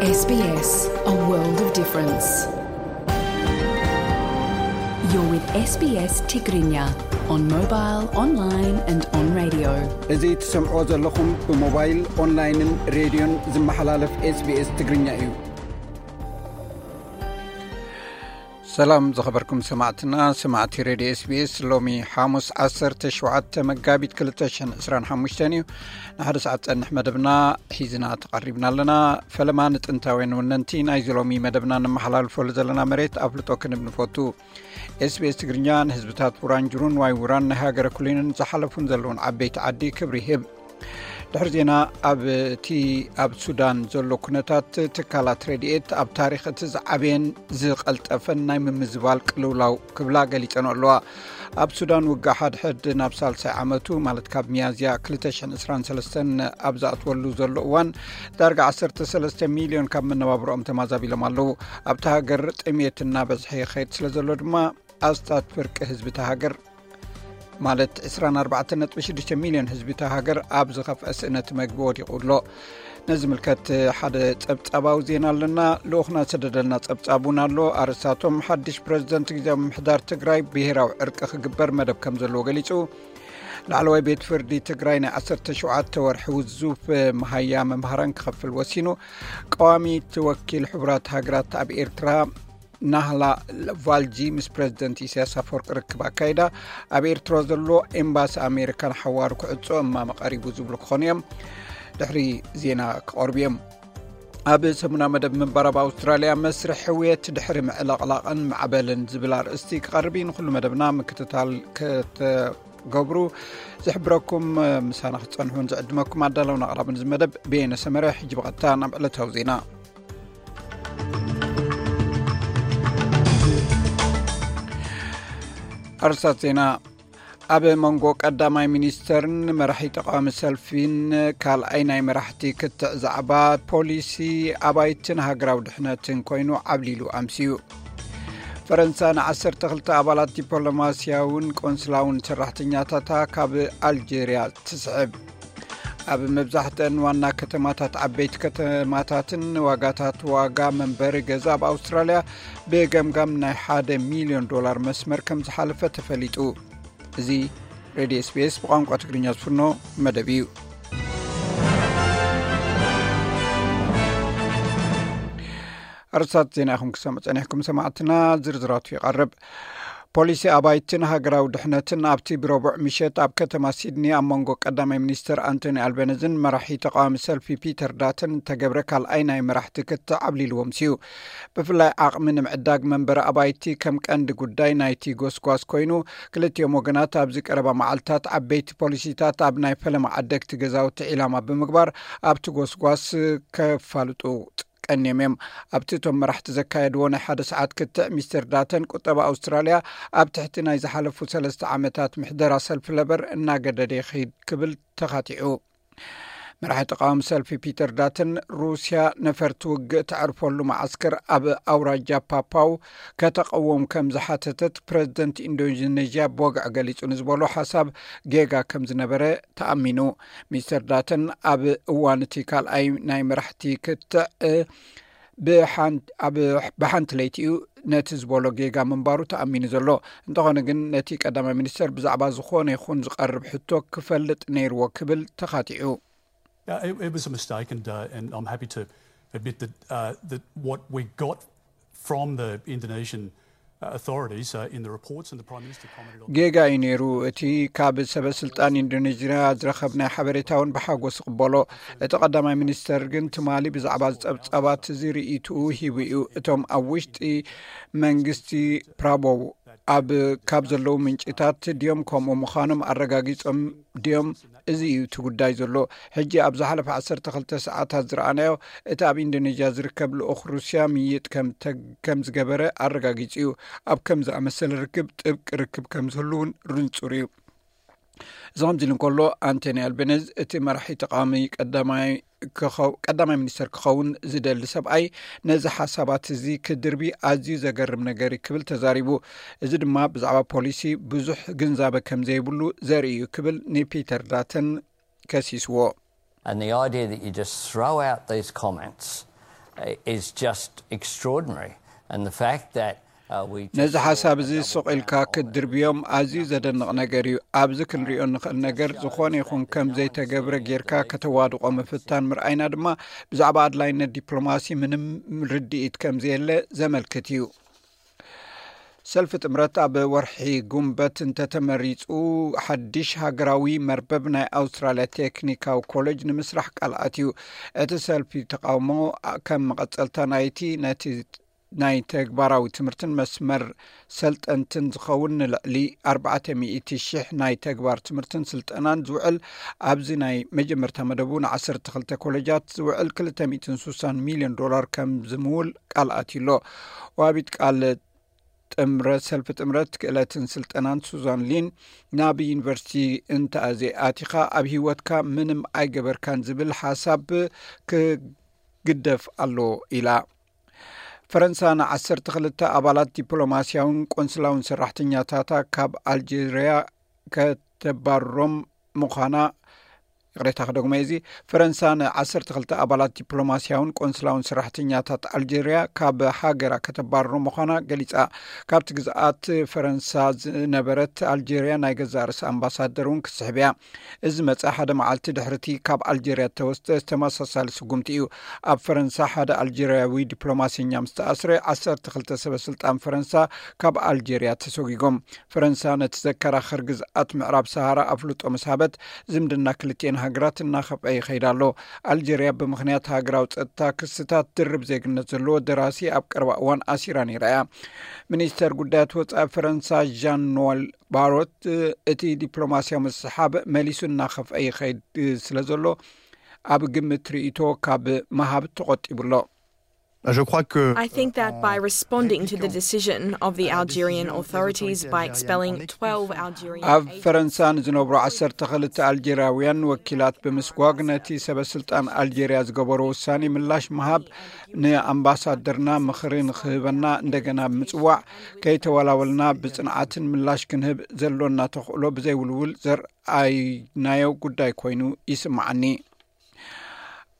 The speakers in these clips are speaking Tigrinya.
S B S, a world of difference. You're with S B S Tigrinya on mobile, online and on radio. እዚ ትሰምዕዎ ዘለኹም ብሞባይል፣ ኦንላይንን ሬድዮን ዝመሓላለፍ SBS ትግርኛ እዩ። ሰላም ዝኸበርኩም ሰማዕትና፣ ሰማዕቲ ሬድዮ SBS፣ ሎሚ ሓሙስ ዓሰርተ ሸውዓተ መጋቢት ክልተ ሽሕን ዕስራን ሓሙሽተን እዩ። ንሓደ ሰዓት ጸንሕ መደብና ሒዝና ተቐሪብና ኣለና። ፈለማ ንጥንታውያን ወነንቲ ናይዚ ሎሚ መደብና ነመሓላልፈሉ ዘለና መሬት ኣፍልጦ ክንብ ንፈቱ። SBS ትግርኛ ንህዝብታት ውራንጅሩን ዋይ ውራን ናይ ሃገረ ኩሊንን ዝሓለፉን ዘለውን ዓበይቲ ዓዲ ክብሪ ይህብ። ድሕሪ ዜና፣ ኣብ እቲ ኣብ ሱዳን ዘሎ ኩነታት፣ ትካላት ረድኤት ኣብ ታሪኽ እቲ ዝዓበየን ዝቐልጠፈን ናይ ምምዝባል ቅልውላው ክብላ ገሊጸን ኣለዋ። ኣብ ሱዳን ውግእ ሓድሕድ ናብ ሳልሳይ ዓመቱ፣ ማለት ካብ ሚያዝያ ክልተ ሽሕን ዕስራን ሰለስተን ኣብ ዝኣትወሉ ዘሎ እዋን፣ ዳርጋ ዓሰርተ ሰለስተ ሚልዮን ካብ መነባብሮኦም ተማዛቢሎም ኣለዉ። ኣብታ ሃገር ጥሜት እናበዝሐ ይኸይድ ስለ ዘሎ ድማ፣ ኣስታት ፍርቂ ህዝቢ እታ ሃገር፣ ማለት ዕስራን ኣርባዕተን ነጥቢ ሽዱሽተ ሚልዮን ህዝቢ እታ ሃገር ኣብ ዝኸፍአ ስእነት መግቢ ወዲቑ ኣሎ። ነዚ ዝምልከት ሓደ ጸብጻባዊ ዜና ኣለና። ልኡኽና ዝሰደደልና ጸብጻብ እውን ኣሎ። ኣርእስታቶም፣ ሓድሽ ፕረዚደንት ግዝያዊ ምምሕዳር ትግራይ ብሄራዊ ዕርቂ ክግበር መደብ ከም ዘለዎ ገሊጹ። ላዕለዋይ ቤት ፍርዲ ትግራይ ናይ ዓሰርተ ሸውዓተ ወርሒ ውዙፍ መሃያ መምሃራን ክኸፍል ወሲኑ። ቀዋሚት ወኪል ሕቡራት ሃገራት ኣብ ኤርትራ ናህላ ቫልጂ ምስ ፕረዚደንት ኢሳያስ ኣፈወርቂ ርክብ ኣካይዳ። ኣብ ኤርትራ ዘሎ ኤምባሲ ኣሜሪካ ንሓዋሩ ክዕጾ እማመ ቀሪቡ ዝብሉ ክኾኑ እዮም። ድሕሪ ዜና ክቐርቡ እዮም። ኣብ ሰሙና መደብ ምንባር ኣብ ኣውስትራልያ፣ መስርሕ ሕውየት ድሕሪ ምዕልቕላቕን ማዕበልን ዝብል ኣርእስቲ ክቐርብ እዩ። ንኹሉ መደብና ምክትታል ከተገብሩ ዝሕብረኩም፣ ምሳና ክትጸንሑን ዝዕድመኩም ኣዳለውን ኣቕራብን እዚ መደብ ብየነ ሰመረ። ሕጂ ብቐጥታ ናብ ዕለታዊ ዜና። ኣርስታት ዜና። ኣብ መንጎ ቀዳማይ ሚኒስተርን መራሒ ተቃዋሚ ሰልፊን ካልኣይ ናይ መራሕቲ ክትዕ ዛዕባ ፖሊሲ ኣባይትን ሃገራዊ ድሕነትን ኮይኑ ዓብሊሉ ኣምስዩ። ፈረንሳ ንዓሰርተ ክልተ ኣባላት ዲፕሎማስያውን ቆንስላውን ሰራሕተኛታታ ካብ ኣልጀርያ ትስዕብ። ኣብ መብዛሕትአን ዋና ከተማታት፣ ዓበይቲ ከተማታትን ዋጋታት ዋጋ መንበሪ ገዛ ኣብ ኣውስትራልያ ብገምጋም ናይ ሓደ ሚልዮን ዶላር መስመር ከም ዝሓለፈ ተፈሊጡ። እዚ ሬድዮ SBS ብቋንቋ ትግርኛ ዝፍኖ መደብ እዩ። ኣርስታት ዜና ኢኹም ክሰምዑ ጸኒሕኩም ሰማዕትና፣ ዝርዝራቱ ይቐርብ። ፖሊሲ ኣባይትን ሃገራዊ ድሕነትን ኣብቲ ብረቡዕ ምሸት ኣብ ከተማ ሲድኒ ኣብ መንጎ ቀዳማይ ሚኒስተር ኣንቶኒ ኣልበነዝን መራሒ ተቃዋሚ ሰልፊ ፒተር ዳተን እተገብረ ካልኣይ ናይ መራሕቲ ክትዕ ዓብሊልዎም ስዩ። ብፍላይ ዓቕሚ ንምዕዳግ መንበሪ ኣባይቲ ከም ቀንዲ ጉዳይ ናይቲ ጎስጓስ ኮይኑ፣ ክልቲኦም ወገናት ኣብዚ ቀረባ መዓልታት ዓበይቲ ፖሊሲታት ኣብ ናይ ፈለማ ዓደግቲ ገዛውቲ ዒላማ ብምግባር ኣብቲ ጎስጓስ ከፋልጡ ቀንዮም እዮም። ኣብቲ እቶም መራሕቲ ዘካየድዎ ናይ ሓደ ሰዓት ክትዕ፣ ሚስተር ዳተን ቁጠባ ኣውስትራልያ ኣብ ትሕቲ ናይ ዝሓለፉ ሰለስተ ዓመታት ምሕደራ ሰልፊ ለበር እናገደደ ይኸይድ ክብል ተኻቲዑ። መራሒ ተቃዋሚ ሰልፊ ፒተር ዳተን፣ ሩስያ ነፈርቲ ውግእ ተዕርፈሉ መዓስከር ኣብ ኣውራጃ ፓፓው ከተቐውም ከም ዝሓተተት ፕረዚደንት ኢንዶኔዥያ ብወግዒ ገሊጹ ንዝበሎ ሓሳብ ጌጋ ከም ዝነበረ ተኣሚኑ። ሚስተር ዳተን ኣብ እዋን እቲ ካልኣይ ናይ መራሕቲ ክትዕ ብሓን-፣ ኣብ፣ ብሓንቲ ለይቲ እዩ ነቲ ዝበሎ ጌጋ ምንባሩ ተኣሚኑ ዘሎ። እንተኾነ ግን፣ ነቲ ቀዳማይ ሚኒስተር ብዛዕባ ዝኾነ ይኹን ዝቐርብ ሕቶ ክፈልጥ ነይርዎ ክብል ተኻቲዑ። Uh, it, it was a mistake, and, uh, and I'm happy to admit that, uh, that what we got from the Indonesian, uh, authorities, uh, in the reports, and the Prime Minister commented on. ጌጋ እዩ ነይሩ። እቲ ካብ ሰበ ስልጣን ኢንዶኔዥያ ዝረኸብናዮ ሓበሬታ እውን ብሓጎስ ይቕበሎ። እቲ ቀዳማይ ሚኒስተር ግን ትማሊ ብዛዕባ ዝጸብጻባት እዚ ርእይትኡ ሂቡ እዩ። እቶም ኣብ ውሽጢ መንግስቲ ፕራቦው ኣብ፣ ካብ ዘለዉ ምንጭታት ድዮም ከምኡ ምዃኖም ኣረጋጊጾም ድዮም? እዚ እዩ እቲ ጉዳይ ዘሎ። ሕጂ ኣብ ዝሓለፈ ዓሰርተ ክልተ ሰዓታት ዝረኣናዮ፣ እቲ ኣብ ኢንዶኔዥያ ዝርከብ ልኡኽ ሩስያ ምይጥ ከም ተ-፣ ከም ዝገበረ ኣረጋጊጹ እዩ። ኣብ ከም ዝኣመሰለ ርክብ ጥብቂ ርክብ ከም ዝህሉ እውን ርንጹር እዩ። እዚ ከምዚ ኢሉ እንከሎ፣ ኣንቶኒ ኣልቤነዝ፣ እቲ መራሒ ተቃዋሚ ቀዳማይ ክኸው-፣ ቀዳማይ ሚኒስተር ክኸውን ዝደሊ ሰብኣይ፣ ነዚ ሓሳባት እዚ ክድርቢ ኣዝዩ ዘገርም ነገር እዩ ክብል ተዛሪቡ። እዚ ድማ ብዛዕባ ፖሊሲ ብዙሕ ግንዛበ ከም ዘይብሉ ዘርኢ እዩ ክብል ንፒተር ዳተን ከሲስዎ። And the idea that you just throw out these comments is just extraordinary. And the fact that uh, we just ነዚ ሓሳብ እዚ ሱቕ ኢልካ ክትድርብዮም ኣዝዩ ዘደንቕ ነገር እዩ። ኣብዚ ክንሪኦ እንኽእል ነገር፣ ዝኾነ ይኹን ከም ዘይተገብረ ጌርካ ከተዋድቖ ምፍታን ምርኣይና ድማ፣ ብዛዕባ ኣድላይነት ዲፕሎማሲ ምንም ርድኢት ከም ዘየለ ዘመልክት እዩ። ሰልፊ ጥምረት ኣብ ወርሒ ጉንበት እንተተመሪጹ፣ ሓድሽ ሃገራዊ መርበብ ናይ ኣውስትራልያ ቴክኒካዊ ኮሌጅ ንምስራሕ ቃል ኣትዩ። እቲ ሰልፊ ተቃውሞ ከም መቐጸልታ ናይቲ፣ ነቲ ናይ ተግባራዊ ትምህርትን መስመር ሰልጠንትን ዝኸውን ንልዕሊ ኣርባዕተ ሚእቲ ሽሕ ናይ ተግባር ትምህርትን ስልጠናን ዝውዕል፣ ኣብዚ ናይ መጀመርታ መደቡ ንዓሰርተ ክልተ ኮሌጃት ዝውዕል ክልተ ሚእትን ስሳን ሚልዮን ዶላር ከም ዝምውል ቃል ኣትዩ ኣሎ። ዋቢት ቃል ጥምረት፣ ሰልፊ ጥምረት ክእለትን ስልጠናን ሱዛን ሊን፣ ናብ ዩኒቨርሲቲ እንተኣዘይ ኣቲኻ ኣብ ህይወትካ ምንም ኣይገበርካን ዝብል ሓሳብ ክግደፍ ኣሎ ኢላ። ፈረንሳ ንዓሰርተ ክልተ ኣባላት ዲፕሎማስያውን ቆንስላውን ሰራሕተኛታታ ካብ ኣልጀርያ ከተባርሮም ምዃና፣ ይቕሬታ ክደግሞ እዚ፣ ፈረንሳ ንዓሰርተ ክልተ ኣባላት ዲፕሎማስያውን ቆንስላውን ሰራሕተኛታት ኣልጀርያ ካብ ሃገራ ከተባርሮ ምዃና ገሊጻ። ካብቲ ግዝኣት ፈረንሳ ዝነበረት ኣልጀርያ ናይ ገዛእ ርእሳ ኣምባሳደር እውን ክትስሕብ እያ። እዚ መጸ ሓደ መዓልቲ ድሕርቲ ካብ ኣልጀርያ እተወስደ ተመሳሳሊ ስጉምቲ እዩ። ኣብ ፈረንሳ ሓደ ኣልጀርያዊ ዲፕሎማሰኛ ምስ ተኣስረ፣ ዓሰርተ ክልተ ሰበ ስልጣን ፈረንሳ ካብ ኣልጀርያ ተሰጒጎም። ፈረንሳ ነቲ ዘከራኽር ግዝኣት ምዕራብ ሰሃራ ኣፍልጦ ምስ ሃበት፣ ዝምድና ክልቲኤን ሃገራት እናኸፍአ ይኸይድ ኣሎ። ኣልጀርያ ብምኽንያት ሃገራዊ ጸጥታ ክስታት ድርብ ዜግነት ዘለዎ ደራሲ ኣብ ቀረባ እዋን ኣሲራ ነይራ እያ። ሚኒስተር ጉዳያት ወጻኢ ፈረንሳ ዣን ኖል ባሮት፣ እቲ ዲፕሎማስያዊ ምስሓብ መሊሱ እናኸፍአ ይኸይድ ስለ ዘሎ፣ ኣብ ግምት ርእይቶ ካብ ምሃብ ተቖጢቡ ኣሎ። Je crois que I think that by responding to the decision of the Algerian authorities by expelling twelve Algerian ኣብ ፈረንሳ ንዝነብሩ ዓሰርተ ክልተ ኣልጀርያውያን ወኪላት ብምስጓግ፣ ነቲ ሰበ ስልጣን ኣልጀርያ ዝገበሮ ውሳኔ ምላሽ ምሃብ፣ ንኣምባሳደርና ምኽሪ ንኽህበና እንደገና ብምጽዋዕ፣ ከይተወላወልና ብጽንዓትን ምላሽ ክንህብ ዘሎና ተኽእሎ ብዘይውልውል ዘርኣይናዮ ጉዳይ ኮይኑ ይስምዓኒ።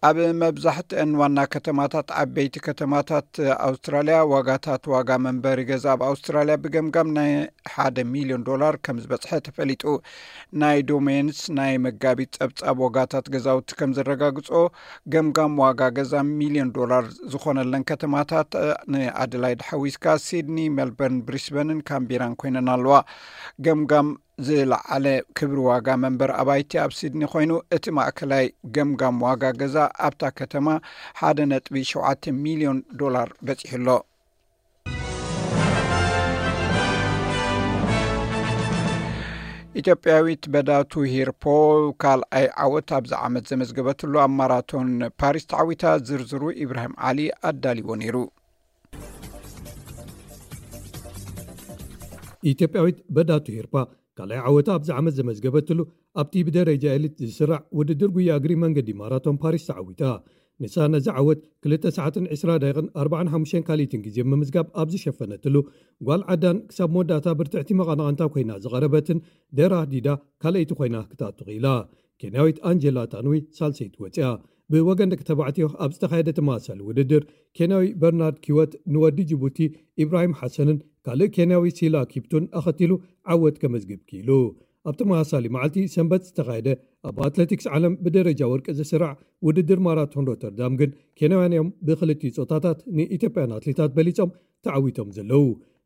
ኣብ መብዛሕትአን ዋና ከተማታት፣ ዓበይቲ ከተማታት ኣውስትራልያ፣ ዋጋታት፣ ዋጋ መንበሪ ገዛ ኣብ ኣውስትራልያ ብገምጋም ናይ ሓደ ሚልዮን ዶላር ከም ዝበጽሐ ተፈሊጡ። ናይ ዶሜንስ ናይ መጋቢት ጸብጻብ ዋጋታት ገዛውቲ ከም ዘረጋግጾ፣ ገምጋም ዋጋ ገዛ ሚልዮን ዶላር ዝኾነለን ከተማታት፣ ንኣደላይድ ሓዊስካ፣ ሲድኒ፣ ሜልበርን፣ ብሪስበንን ካምቤራን ኮይነን ኣለዋ። ገምጋም ዝለዓለ ክብሪ ዋጋ መንበር ኣባይቲ ኣብ ሲድኒ ኮይኑ፣ እቲ ማእከላይ ገምጋም ዋጋ ገዛ ኣብታ ከተማ ሓደ ነጥቢ ሸውዓተ ሚልዮን ዶላር በጺሑ ኣሎ። ኢትዮጵያዊት በዳቱ ሂርፖ ካልኣይ ዓወት ኣብዚ ዓመት ዘመዝገበትሉ ኣብ ማራቶን ፓሪስ ተዓዊታ። ዝርዝሩ ኢብራሂም ዓሊ ኣዳልዎ ነይሩ። ኢትዮጵያዊት በዳቱ ሂርፓ ካልኣይ ዓወታ ኣብዚ ዓመት ዘመዝገበትሉ ኣብቲ ብደረጃ ኤሊት ዝስራዕ ውድድር ጉያ እግሪ መንገዲ ማራቶን ፓሪስ ተዓዊታ። ንሳ ነዚ ዓወት ክልተ ሰዓትን ዕስራ ደቂቕን ኣርባዓን ሓሙሽተን ካልኢትን ግዜ ብምምዝጋብ ኣብ ዝሸፈነትሉ፣ ጓል ዓዳን ክሳብ መወዳእታ ብርትዕቲ መቐናቕንታ ኮይና ዝቐረበትን ደራ ዲዳ ካልኣይቲ ኮይና ክትኣቱ ክኢላ። ኬንያዊት ኣንጀላ ታንዊ ሳልሰይቲ ወፂኣ። ብወገን ደቂ ተባዕትዮ ኣብ ዝተኻየደ ተመሳሳሊ ውድድር፣ ኬንያዊ በርናርድ ኪወት ንወዲ ጅቡቲ ኢብራሂም ሓሰንን ካልእ ኬንያዊ ሲላ ኪፕቱን ኣኸቲሉ ዓወት ከመዝግብ ክኢሉ። ኣብ ተመሳሳሊ መዓልቲ ሰንበት ዝተኻየደ ኣብ ኣትሌቲክስ ዓለም ብደረጃ ወርቂ ዝስራዕ ውድድር ማራቶን ሮተርዳም ግን፣ ኬንያውያን እዮም ብክልቲኡ ጾታታት ንኢትዮጵያን ኣትሌታት በሊጾም ተዓዊቶም ዘለዉ።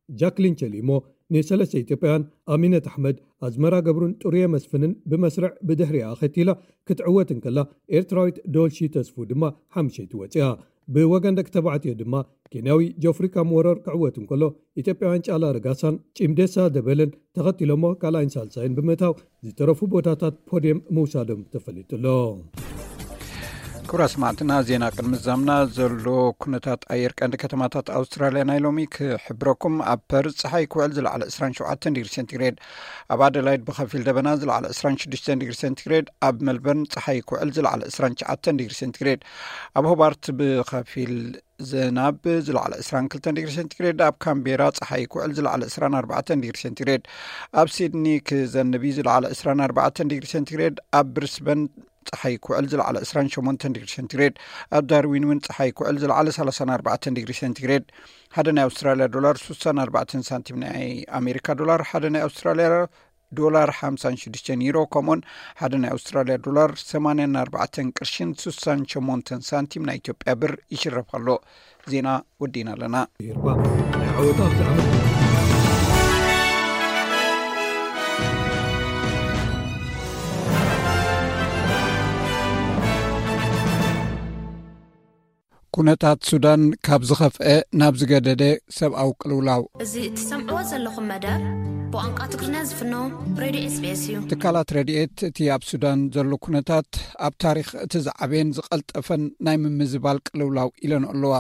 ጃክሊን ቸሊሞ ንሰለስተ ኢትዮጵያውያን ኣሚነት ኣሕመድ፣ ኣዝመራ ገብሩን ጥሩየ መስፍንን ብመስርዕ ብድሕሪኣ ኣኸቲላ ክትዕወት እንከላ፣ ኤርትራዊት ዶልሺ ተስፉ ድማ ሓምሸይቲ ወፂኣ። ብወገን ደቂ ተባዕትዮ ድማ ኬንያዊ ጆፍሪ ካምወረር ክዕወት እንከሎ፣ ኢትዮጵያውያን ጫላ ረጋሳን ጪምዴሳ ደበለን ተኸቲሎሞ ካልኣይን ሳልሳይን ብምእታው፣ ዝተረፉ ቦታታት ፖድየም ምውሳዶም ተፈሊጡ ኣሎ። ክቡራት ሰማዕትና፣ ዜና ቅድሚ ዛምና ዘሎ ኩነታት ኣየር ቀንዲ ከተማታት ኣውስትራልያ ናይ ሎሚ ክሕብረኩም። ኣብ ፐርዝ ጸሓይ ክውዕል ዝለዓለ ዕስራን ሸውዓተን ዲግሪ ሴንቲግሬድ፣ ኣብ ኣደላይድ ብኸፊል ደበና ዝለዓለ ዕስራን ሽዱሽተን ዲግሪ ሴንቲግሬድ፣ ኣብ ሜልበርን ጸሓይ ክውዕል ዝለዓለ ዕስራን ትሽዓተን ዲግሪ ሴንቲግሬድ፣ ኣብ ሆባርት ብኸፊል ዝናብ ዝለዓለ ዕስራን ክልተን ዲግሪ ሴንቲግሬድ፣ ኣብ ካምቤራ ጸሓይ ክውዕል ዝለዓለ ዕስራን ኣርባዕተን ዲግሪ ሴንቲግሬድ፣ ኣብ ሲድኒ ክዘንብ እዩ ዝለዓለ ዕስራን ኣርባዕተን ዲግሪ ሴንቲግሬድ፣ ኣብ ብሪስበን ጸሓይ ክውዕል ዝለዓለ ዕስራን ሸሞንተን ዲግሪ ሴንቲግሬድ፣ ኣብ ዳርዊን እውን ጸሓይ ክውዕል ዝለዓለ ሰላሳን ኣርባዕተን ዲግሪ ሴንቲግሬድ። ሓደ ናይ ኣውስትራልያ ዶላር ሱሳን ኣርባዕተን ሳንቲም፣ ናይ ኣሜሪካ ዶላር ሓደ ናይ ኣውስትራልያ ዶላር ሓምሳን ሽዱሽተን ዩሮ፣ ከምኡን ሓደ ናይ ኣውስትራልያ ዶላር ሰማንያን ኣርባዕተን ቅርሽን ሱሳን ሸሞንተን ሳንቲም ናይ ኢትዮጵያ ብር ይሽረፍ ኣሎ። ዜና ወዲና ኣለና። ኩነታት ሱዳን ካብ ዝኸፍአ ናብ ዝገደደ ሰብኣዊ ቅልውላው። እዚ እትሰምዕዎ ዘለኹም መደብ ብቋንቋ ትግርኛ ዝፍኖ ሬድዮ ኤስቢኤስ እዩ። ትካላት ረድኤት እቲ ኣብ ሱዳን ዘሎ ኩነታት ኣብ ታሪኽ እቲ ዝዓበየን ዝቐልጠፈን ናይ ምምዝባል ቅልውላው ኢለን ኣለዋ።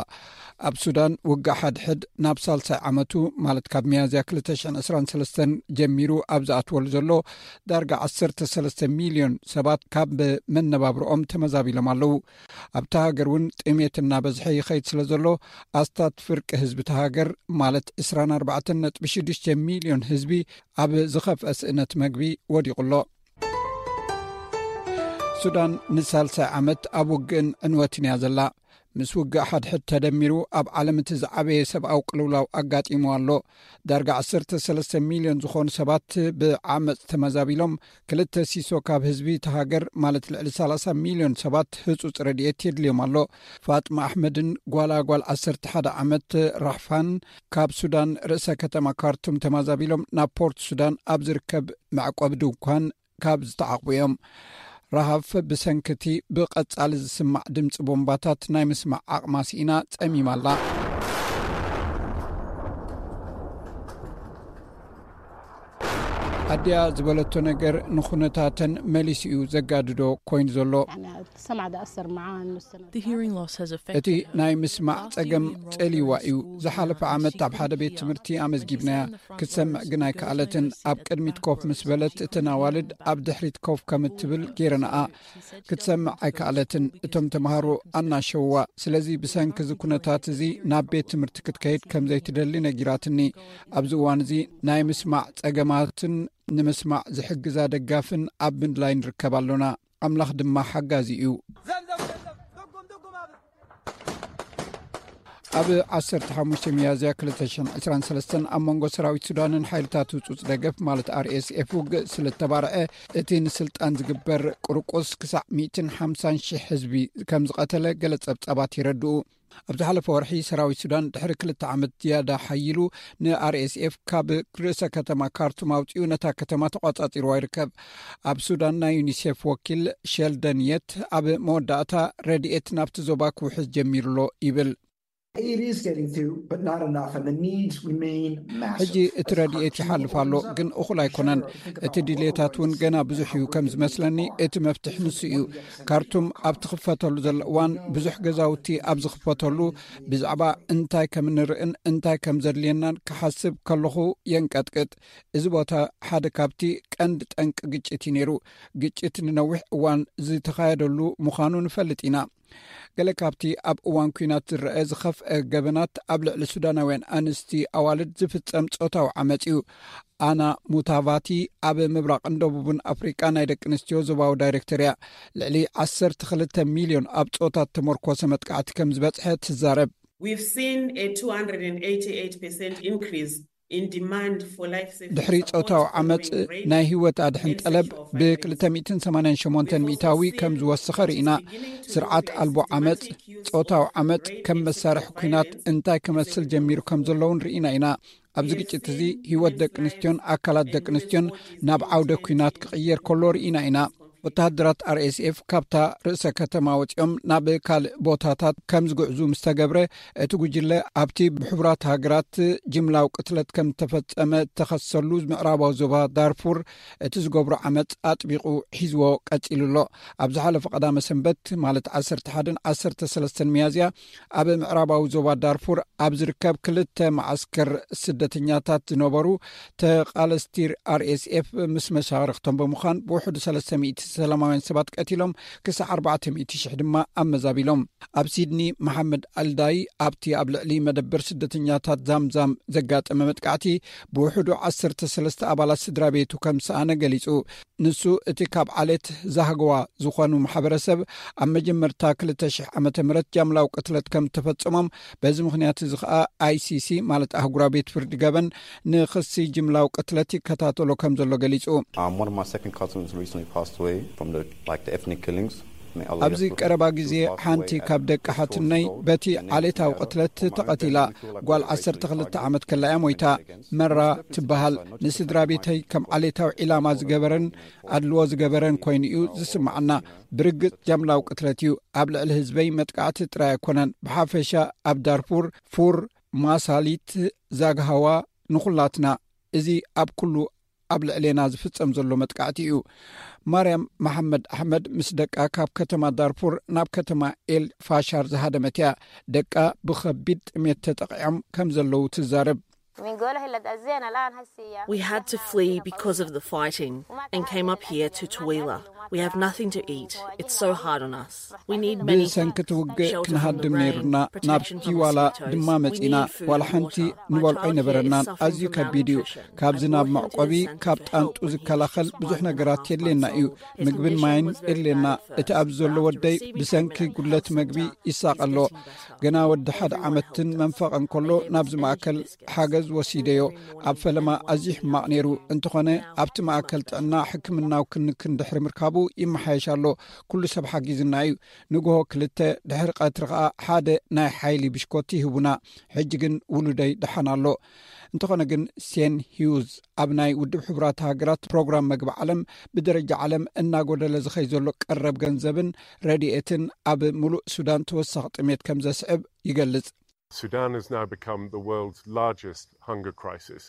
ኣብ ሱዳን ውግእ ሓድሕድ ናብ ሳልሳይ ዓመቱ፣ ማለት ካብ ሚያዝያ ክልተ ሽሕን ዕስራን ሰለስተን ጀሚሩ ኣብ ዝኣትወሉ ዘሎ፣ ዳርጋ ዓሰርተ ሰለስተ ሚልዮን ሰባት ካብ መነባብርኦም ተመዛቢሎም ኣለዉ። ኣብታ ሃገር እውን ጥሜት እናበዝሐ ይኸይድ ስለ ዘሎ፣ ኣስታት ፍርቂ ህዝቢ እታ ሃገር፣ ማለት ዕስራን ኣርባዕተን ነጥቢ ሽዱሽተ ሚልዮን ህዝቢ፣ ኣብ ዝኸፍአ ስእነት መግቢ ወዲቑ ኣሎ። ሱዳን ንሳልሳይ ዓመት ኣብ ውግእን ዕንወትን እያ ዘላ። ምስ ውግእ ሓድሕድ ተደሚሩ፣ ኣብ ዓለም እቲ ዝዓበየ ሰብኣዊ ቅልውላው ኣጋጢሙ ኣሎ። ዳርጋ ዓሰርተ ሰለስተ ሚልዮን ዝኾኑ ሰባት ብዓመጽ ተመዛቢሎም፣ ክልተ ሲሶ ካብ ህዝቢ እታ ሃገር፣ ማለት ልዕሊ ሰላሳ ሚልዮን ሰባት፣ ህጹጽ ረድኤት የድልዮም ኣሎ። ፋጥማ ኣሕመድን ጓላ ጓል ዓሰርተ ሓደ ዓመት ራሕፋን ካብ ሱዳን ርእሰ ከተማ ካርቱም ተመዛቢሎም ናብ ፖርት ሱዳን ኣብ ዝርከብ መዕቆቢ ድንኳን ካብ ዝተዓቑቡ እዮም። ረሃፍ ብሰንኪ እቲ ብቐጻሊ ዝስማዕ ድምጺ ቦምባታት ናይ ምስማዕ ዓቕማ ስኢና ጸሚማ ኣላ። ኣዲኣ ዝበለቶ ነገር ንኹነታተን መሊሱ እዩ ዘጋድዶ ኮይኑ ዘሎ። السمع ده أثر معاه إنه السنة The hearing loss has affected እቲ ናይ ምስማዕ ጸገም ጸልይዋ እዩ። ዝሓለፈ ዓመት ኣብ ሓደ ቤት ትምህርቲ ኣመዝጊብናያ። ክትሰምዕ ግን ኣይከኣለትን። ኣብ ቅድሚት ኮፍ ምስ በለት፣ እተን ኣዋልድ ኣብ ድሕሪት ኮፍ ከም እትብል ገይረንኣ። ክትሰምዕ ኣይከኣለትን። እቶም ተምሃሮ ኣናሸውዋ። ስለዚ ብሰንኪ እዚ ኩነታት እዚ ናብ ቤት ትምህርቲ ክትከይድ ከም ዘይትደሊ ነጊራትኒ። ኣብዚ እዋን እዚ ናይ ምስማዕ ጸገማትን ንምስማዕ ዝሕግዛ ደጋፍን ኣብ ምድላይ ንርከብ ኣሎና። ኣምላኽ ድማ ሓጋዚ እዩ። ኣብ ዓሰርተ ሓሙሽተ ሚያዝያ ክልተ ሽሕን ዕስራን ሰለስተን ኣብ መንጎ ሰራዊት ሱዳንን ሓይልታት ህጹጽ ደገፍ ማለት ኣር ኤስ ኤፍ ውግእ ስለ እተባርዐ፣ እቲ ንስልጣን ዝግበር ቁርቁስ ክሳዕ ሚእትን ሓምሳን ሽሕ ህዝቢ ከም ዝቐተለ ገለ ጸብጻባት የረድኡ። ኣብ ዝሓለፈ ወርሒ ሰራዊት ሱዳን ድሕሪ ክልተ ዓመት ዝያዳ ሓይሉ ንኣር ኤስ ኤፍ ካብ ርእሰ ከተማ ካርቱም ኣውጺኡ ነታ ከተማ ተቖጻጺርዋ ይርከብ። ኣብ ሱዳን ናይ ዩኒሴፍ ወኪል ሸልደን የት ኣብ መወዳእታ ረድኤት ናብቲ ዞባ ክውሕዝ ጀሚሩ ኣሎ ይብል። Aid is getting through, but not enough, and the needs remain massive. ሕጂ እቲ ረድኤት ይሓልፍ ኣሎ፣ ግን እኹል ኣይኮነን። እቲ ድሌታት እውን ገና ብዙሕ እዩ። ከም ዝመስለኒ እቲ መፍትሒ ንሱ እዩ። ካርቱም ኣብ ትኽፈተሉ ዘሎ እዋን፣ ብዙሕ ገዛውቲ ኣብ ዝኽፈተሉ፣ ብዛዕባ እንታይ ከም እንርእን እንታይ ከም ዘድልየናን ክሓስብ ከለኹ የንቀጥቅጥ። እዚ ቦታ ሓደ ካብቲ ቀንዲ ጠንቂ ግጭት እዩ ነይሩ። ግጭት ንነዊሕ እዋን ዝተኻየደሉ ምዃኑ ንፈልጥ ኢና። ገለ ካብቲ ኣብ እዋን ኲናት ዝረአ ዝኸፍአ ገበናት ኣብ ልዕሊ ሱዳናውያን ኣንስቲ ኣዋልድ ዝፍጸም ጾታዊ ዓመጽ እዩ። ኣና ሙታቫቲ ኣብ ምብራቕን ደቡብን ኣፍሪቃ ናይ ደቂ ኣንስትዮ ዞባዊ ዳይሬክተር እያ። ልዕሊ ዓሰርተ ክልተ ሚልዮን ኣብ ጾታ እተመርኮሰ መጥቃዕቲ ከም ዝበጽሐ ትዛረብ። We've seen a two hundred and eighty-eight percent increase in demand for life saving ድሕሪ support ጾታዊ ዓመጽ following rape ናይ ህይወት ኣድሕን and ጠለብ sexual violence. ብ ክልተ ሚእትን ሰማንያን ሸሞንተን ሚእታዊ ከም ዝወሰኸ ርኢና። ስርዓት ኣልቦ ዓመጽ፣ ጾታዊ ዓመጽ ከም መሳርሒ ኲናት እንታይ ክመስል ጀሚሩ ከም ዘለውን ርኢና ኢና። ኣብዚ ግጭት እዚ ህይወት ደቂ ኣንስትዮን ኣካላት ደቂ ኣንስትዮን ናብ ዓውደ ኲናት ክቕየር ከሎ ርኢና ኢና። ወተሃደራት ኣር ኤስ ኤፍ ካብታ ርእሰ ከተማ ወጺኦም ናብ ካልእ ቦታታት ከም ዝግዕዙ ምስ ተገብረ፣ እቲ ጉጅለ ኣብቲ ብሕቡራት ሃገራት ጅምላዊ ቅትለት ከም ዝተፈጸመ እተኸሰሉ ምዕራባዊ ዞባ ዳርፉር እቲ ዝገብሮ ዓመጽ ኣጥቢቑ ሒዝዎ ቀጺሉ ኣሎ። ኣብ ዝሓለፈ ቀዳመ ሰንበት፣ ማለት ዓሰርተ ሓደን ዓሰርተ ሰለስተን ሚያዝያ፣ ኣብ ምዕራባዊ ዞባ ዳርፉር ኣብ ዝርከብ ክልተ መዓስከር ስደተኛታት ዝነበሩ ተቓለስቲ ኣር ኤስ ኤፍ ምስ መሻርኽቶም ብምዃን ብውሕዱ ሰለስተ ሚእቲ ሰላማውያን ሰባት ቀቲሎም፣ ክሳዕ ኣርባዕተ ሚእቲ ሽሕ ድማ ኣመዛቢሎም። ኣብ ሲድኒ፣ መሓመድ ኣልዳይ ኣብቲ ኣብ ልዕሊ መደበር ስደተኛታት ዛምዛም ዘጋጠመ መጥቃዕቲ ብውሕዱ ዓሰርተ ሰለስተ ኣባላት ስድራ ቤቱ ከም ሰኣነ ገሊጹ። ንሱ እቲ ካብ ዓሌት ዛህግዋ ዝኾኑ ማሕበረሰብ ኣብ መጀመርታ ክልተ ሽሕ ዓመተ ምህረት ጃምላዊ ቅትለት ከም ተፈጸሞም፣ በዚ ምኽንያት እዚ ኸኣ ኣይ ሲ ሲ፣ ማለት ኣህጉራዊ ቤት ፍርዲ ገበን፣ ንኽሲ ጅምላዊ ቅትለት ይከታተሎ ከም ዘሎ ገሊጹ። Um, one of my second cousins recently passed away from the, like, the ethnic killings. May Allah ኣብዚ rest ቀረባ his ግዜ soul, passed ሓንቲ away at ካብ ደቂ just ሓትነይ twelve years old. በቲ And, you know, ዓሌታዊ then ቅትለት on my own ተቐቲላ። family, I feel like ጓል a very ዓሰርተ ክልተ big ዓመት ከላ እያ ሞይታ። መራ ትበሃል። ንስድራ ቤተይ ከም ዓሌታዊ ዒላማ ዝገበረን ኣድልዎ ዝገበረን ኮይኑ እዩ ዝስምዓና። ብርግጽ ጃምላዊ ቅትለት እዩ። ኣብ ልዕሊ ህዝበይ መጥቃዕቲ ጥራይ ኣይኮነን። ብሓፈሻ ኣብ ዳርፉር፣ ፉር፣ ማሳሊት፣ ዛግሃዋ፣ ንኹላትና፣ እዚ ኣብ ኩሉ ኣብ ልዕሌና ዝፍጸም ዘሎ መጥቃዕቲ እዩ። ማርያም መሓመድ ኣሕመድ ምስ ደቃ ካብ ከተማ ዳርፉር ናብ ከተማ ኤል ፋሻር ዝሃደመት እያ። ደቃ ብኸቢድ ጥሜት ተጠቒዖም ከም ዘለዉ ትዛረብ። We had to flee because of the fighting and came up here to Tawila. We have nothing to eat. It's so hard on us. We need many ብሰንኪ እቲ ውግእ shelter from the ክንሃድም rain, ነይሩና ናብ protection from ቲዋላ mosquitoes. ድማ We መጺና። need food ዋላ and ሓንቲ water. My ንበልዖ child here ኣይነበረናን። is suffering ኣዝዩ from ከቢድ እዩ። malnutrition. ካብ I'm ዝናብ walking to the መዕቆቢ፣ centre ካብ to ጣንጡ help him ዝከላኸል eat. He's ብዙሕ walking ነገራት half a የድልየና mile እዩ። for the ምግብን condition ማይን was very የድልየና። bad at እቲ first, ኣብዚ ዘሎ but after ወደይ receiving ብሰንኪ treatment and ጉድለት counselling መግቢ time, he's ይሳቐ ኣሎ። getting better. ገና ወዲ ሓደ ዓመትን መንፈቕን ከሎ ናብዚ ማእከል ሓገዝ ወሲደዮ። ኣብ ፈለማ ኣዝዩ ሕማቕ ነይሩ። እንተኾነ ኣብቲ ማእከል ጥዕና ሕክምናዊ ክንክን ድሕሪ ምርካቡ ይመሓየሽ ኣሎ። ኩሉ ሰብ ሓጊዝና እዩ። ንግሆ ክልተ፣ ድሕሪ ቀትሪ ኸኣ ሓደ ናይ ሓይሊ ብሽኮቲ ይህቡና። ሕጂ ግን ውሉደይ ደሓን ኣሎ። እንተኾነ ግን ሴን ሂውዝ ኣብ ናይ ውድብ ሕቡራት ሃገራት ፕሮግራም መግቢ ዓለም ብደረጃ ዓለም እናጎደለ ዝኸይ ዘሎ ቀረብ ገንዘብን ረድኤትን ኣብ ምሉእ ሱዳን ተወሳኺ ጥሜት ከም ዘስዕብ ይገልጽ። Sudan has now become the world's largest hunger crisis.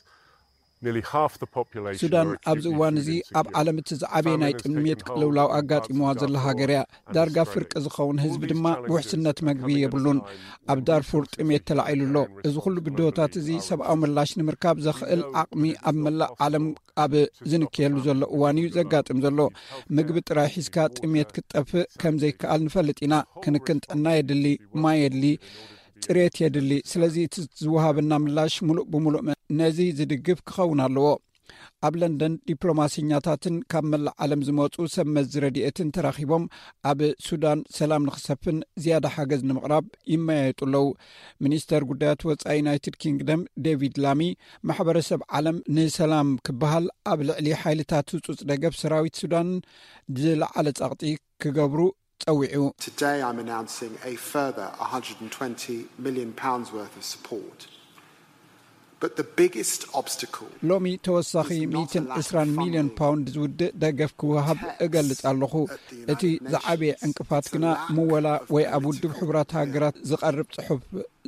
Nearly half the population ሱዳን are ኣብዚ acutely እዋን food እዚ ኣብ insecure. ዓለም እቲ ዝዓበየ ናይ Famine has ጥሜት taken hold ቅልውላው in parts of ኣጋጢምዋ ዘላ Darfur ሃገር እያ። and ዳርጋ Australia. ፍርቂ ዝኸውን All ህዝቢ these ድማ challenges ውሕስነት are መግቢ coming at a የብሉን። time ኣብ when ዳርፉር resources ጥሜት need to ተላዒሉ be ኣሎ። there in እዚ ኩሉ response to ብድሆታት revolution እዚ are ሰብኣዊ reduced. ምላሽ ንምርካብ ዘኽእል We know ዓቕሚ that it is ኣብ መላእ impossible ዓለም ኣብ to stop ዝንክየሉ the ዘሎ spread እዋን of እዩ hunger. ዘጋጥም ዘሎ። You've helped ምግቢ them ጥራይ to ሒዝካ water ጥሜት ክትጠፍእ ከም ዘይከኣል ንፈልጥ ኢና። ክንክን ጥዕና የድሊ፣ ማይ የድሊ፣ ጽሬት የድሊ። ስለዚ እቲ ዝወሃበና ምላሽ ምሉእ ብምሉእ ነዚ ዝድግፍ ክኸውን ኣለዎ። ኣብ ለንደን ዲፕሎማሰኛታትን ካብ መላእ ዓለም ዝመጹ ሰብ መዚ ረድኤትን ተራኺቦም ኣብ ሱዳን ሰላም ንኽሰፍን ዝያዳ ሓገዝ ንምቕራብ ይመያየጡ ኣለዉ። ሚኒስተር ጉዳያት ወጻኢ ዩናይትድ ኪንግደም ዴቪድ ላሚ፣ ማሕበረሰብ ዓለም ንሰላም ክበሃል ኣብ ልዕሊ ሓይልታት ህጹጽ ደገፍ ሰራዊት ሱዳን ዝለዓለ ጸቕጢ ክገብሩ ጸዊዑ። Today I'm announcing a further one hundred and twenty million pounds worth of support. But the biggest obstacle ሎሚ ተወሳኺ ሚእትን ዕስራን ሚልዮን ፓውንድ ዝውድእ ደገፍ ክወሃብ እገልጽ ኣለኹ። እቲ ዝዓበየ ዕንቅፋት ግና ምወላ ወይ ኣብ ውድብ ሕቡራት ሃገራት ዝቐርብ ጽሑፍ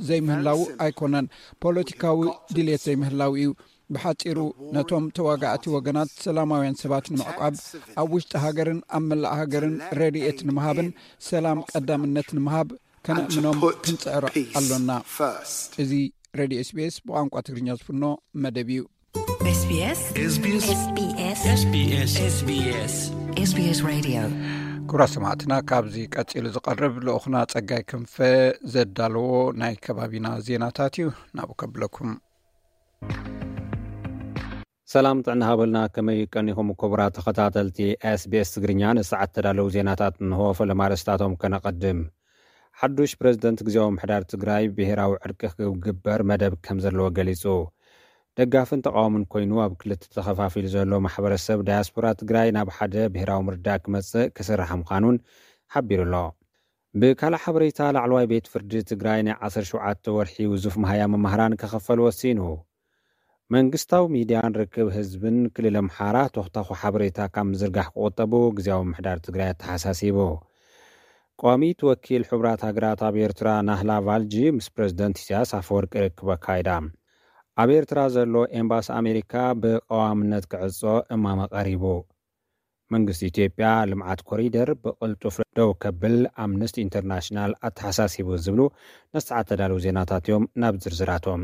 ዘይምህላው ኣይኮነን፣ ፖለቲካዊ ድሌት ዘይምህላው እዩ። ብሓጺሩ ነቶም ተዋጋእቲ ወገናት ሰላማውያን ሰባት ንምዕቋብ ኣብ ውሽጢ ሃገርን ኣብ መላእ ሃገርን ረድኤት ንምሃብን ሰላም ቀዳምነት ንምሃብ ከነእምኖም ክንጽዕር ኣሎና። እዚ ሬድዮ ኤስቢኤስ ብቋንቋ ትግርኛ ዝፍኖ መደብ እዩ። SBS SBS SBS SBS SBS Radio። ክቡራት ሰማዕትና፣ ካብዚ ቀጺሉ ዝቐርብ ልኡኽና ጸጋይ ክንፈ ዘዳለዎ ናይ ከባቢና ዜናታት እዩ። ናብኡ ከብለኩም። ሰላም ጥዕና ሃበልና። ከመይ ቀኒኹም ክቡራት ተኸታተልቲ ኤስቢኤስ ትግርኛ? ንሰዓት ተዳለዉ ዜናታት እንሆ። ፈለማ ኣርእስታቶም ከነቐድም። ሓዱሽ ፕረዚደንት ግዜያዊ ምሕዳር ትግራይ ብሄራዊ ዕርቂ ክግበር መደብ ከም ዘለዎ ገሊጹ። ደጋፍን ተቓዋምን ኮይኑ ኣብ ክልተ ተኸፋፊሉ ዘሎ ማሕበረሰብ ዳያስፖራ ትግራይ ናብ ሓደ ብሄራዊ ምርዳእ ክመጽእ ክስራሕ ምዃኑን ሓቢሩ ኣሎ። ብካልእ ሓበሬታ፣ ላዕለዋይ ቤት ፍርዲ ትግራይ ናይ ዓሰርተ ሸውዓተ ወርሒ ውዙፍ መሃያ መማህራን ክኽፈል ወሲኑ። መንግስታዊ ሚድያን ርክብ ህዝብን ክልል ኣምሓራ ቶኽታኹ ሓበሬታ ካብ ምዝርጋሕ ክቑጠቡ ግዜያዊ ምሕዳር ትግራይ ኣተሓሳሲቡ። ቋሚት ወኪል ሕቡራት ሃገራት ኣብ ኤርትራ ናህላ ቫልጂ ምስ ፕረዚደንት ኢሳያስ ኣፈወርቂ ርክብ ኣካይዳ። ኣብ ኤርትራ ዘሎ ኤምባሲ ኣሜሪካ ብቐዋምነት ክዕጾ እማመ ቀሪቡ። መንግስቲ ኢትዮጵያ ልምዓት ኮሪደር ብቕልጡፍ ደው ከብል ኣምነስቲ ኢንተርናሽናል ኣተሓሳሲቡ ዝብሉ ነቲ ሰዓት ተዳለዉ ዜናታት እዮም። ናብ ዝርዝራቶም።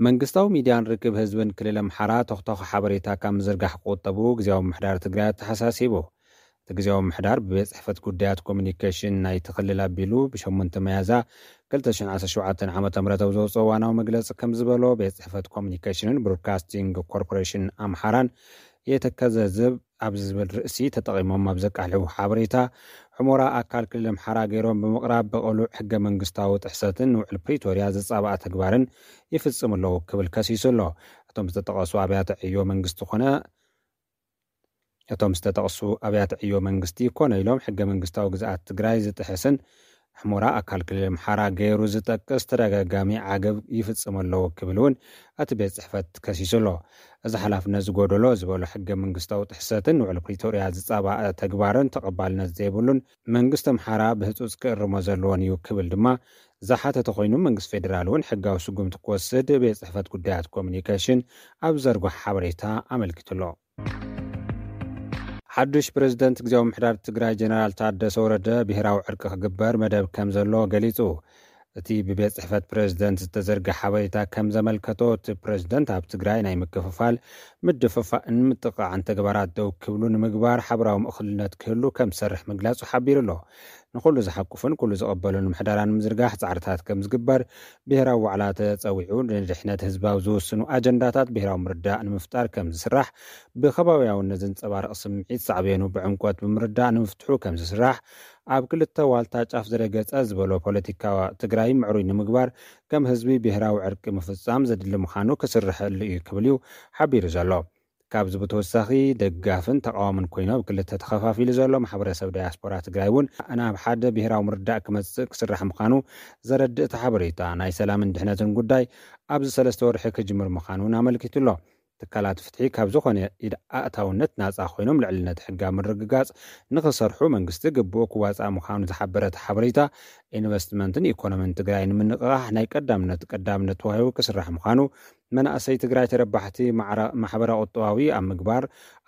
መንግስታዊ ሚድያን ርክብ ህዝብን ክልል ኣምሓራ ተኽተኽ ሓበሬታ ካብ ምዝርጋሕ ክቑጠቡ ግዜያዊ ምምሕዳር ትግራይ ኣተሓሳሲቡ። እቲ ግዜያዊ ምምሕዳር ብቤት ጽሕፈት ጉዳያት ኮሚኒኬሽን ናይቲ ክልል ኣቢሉ ብሸሞንተ መያዛ ክልተ ሽሕን ዓሰርተ ሸውዓተን ዓመተ ምህረት ኣብ ዘውፅኦ እዋናዊ መግለፂ ከም ዝበሎ፣ ቤት ጽሕፈት ኮሚኒኬሽንን ብሮድካስቲንግ ኮርፖሬሽን ኣምሓራን የተከዘዝብ ኣብ ዝብል ርእሲ ተጠቒሞም ኣብ ዘቃልሕዎ ሓበሬታ፣ ሑሞራ ኣካል ክልል ኣምሓራ ገይሮም ብምቕራብ ብቕሉዕ ሕገ መንግስታዊ ጥሕሰትን ንውዕል ፕሪቶርያ ዝጻባእ ተግባርን ይፍጽሙ ኣለዉ ክብል ከሲሱ ኣሎ። እቶም ዝተጠቐሱ ኣብያተ ዕዮ መንግስቲ ኮነ እቶም ዝተጠቕሱ ኣብያተ ዕዮ መንግስቲ ኮነ ኢሎም ሕገ መንግስታዊ ግዝኣት ትግራይ ዝጥሕስን ሑሞራ ኣካል ክልል ኣምሓራ ገይሩ ዝጠቅስ ተደጋጋሚ ዓገብ ይፍጽሙ ኣለዉ ክብል እውን እቲ ቤት ጽሕፈት ከሲሱ ኣሎ። እዚ ሓላፍነት ዝጎደሎ ዝበሎ ሕገ መንግስታዊ ጥሕሰትን ውዕል ፕሪቶርያ ዝጻባእ ተግባርን ተቐባልነት ዘይብሉን መንግስቲ ኣምሓራ ብህጹጽ ክእርሞ ዘለዎን እዩ ክብል ድማ ዝሓተተ ኮይኑ፣ መንግስቲ ፌዴራል እውን ሕጋዊ ስጉምቲ ክወስድ ቤት ጽሕፈት ጉዳያት ኮሚኒኬሽን ኣብ ዘርግሖ ሓበሬታ ኣመልኪቱ ኣሎ። ሓዱሽ ፕሬዝደንት ግዜያዊ ምምሕዳር ትግራይ ጀነራል ታደሰ ወረደ ብሄራዊ ዕርቂ ክግበር መደብ ከም ዘሎ ገሊጹ። እቲ ብቤት ጽሕፈት ፕሬዝደንት ዝተዘርግሐ ሓበሬታ ከም ዘመልከቶ፣ እቲ ፕሬዝደንት ኣብ ትግራይ ናይ ምክፍፋል፣ ምድፍፋእን ምጥቕዓን ተግባራት ደው ክብሉ ንምግባር ሓበራዊ ምእኹልነት ክህሉ ከም ዝሰርሕ ምግላጹ ሓቢሩ ኣሎ። ንኹሉ ዝሓቁፍን ኩሉ ዝቕበሉን ምሕደራ ንምዝርጋሕ ጻዕርታት ከም ዝግበር ብሄራዊ ዋዕላ ተጸዊዑ፣ ንድሕነት ህዝባዊ ዝውስኑ ኣጀንዳታት ብሄራዊ ምርዳእ ንምፍጣር ከም ዝስራሕ፣ ብከባብያውነት ዘንጸባርቕ ስምዒት ሳዕቤኑ ብዕምቆት ብምርዳእ ንምፍትሑ ከም ዝስራሕ፣ ኣብ ክልተ ዋልታ ጫፍ ዝረገጸ ዝበሎ ፖለቲካ ትግራይ ምዕሩይ ንምግባር ከም ህዝቢ ብሄራዊ ዕርቂ ምፍጻም ዘድሊ ምዃኑ ክስርሐሉ እዩ ክብል እዩ ሓቢሩ ዘሎ። ካብዚ ብተወሳኺ ደጋፍን ተቃዋምን ኮይኑ ኣብ ክልተ ተኸፋፊሉ ዘሎ ማሕበረሰብ ዳያስፖራ ትግራይ እውን ናብ ሓደ ብሄራዊ ምርዳእ ክመጽእ ክስራሕ ምዃኑ ዘረድእ እቲ ሓበሬታ፣ ናይ ሰላምን ድሕነትን ጉዳይ ኣብዚ ሰለስተ ወርሒ ክጅምር ምዃኑ እውን ኣመልኪቱ ኣሎ። ትካላት ፍትሒ ካብ ዝኾነ ኢድ ኣእታውነት ናጻ ኮይኖም ልዕልነት ሕጋ ምርግጋጽ ንኽሰርሑ መንግስቲ ግቡእ ክዋጻእ ምዃኑ ዝሓበረ እቲ ሓበሬታ፣ ኢንቨስትመንትን ኢኮኖሚን ትግራይ ንምንቕቓሕ ናይ ቀዳምነት ቀዳምነት ተዋሂቡ ክስራሕ ምዃኑ፣ መናእሰይ ትግራይ ተረባሕቲ ማዕረ-፣ ማሕበረ ቁጠባዊ ኣብ ምግባር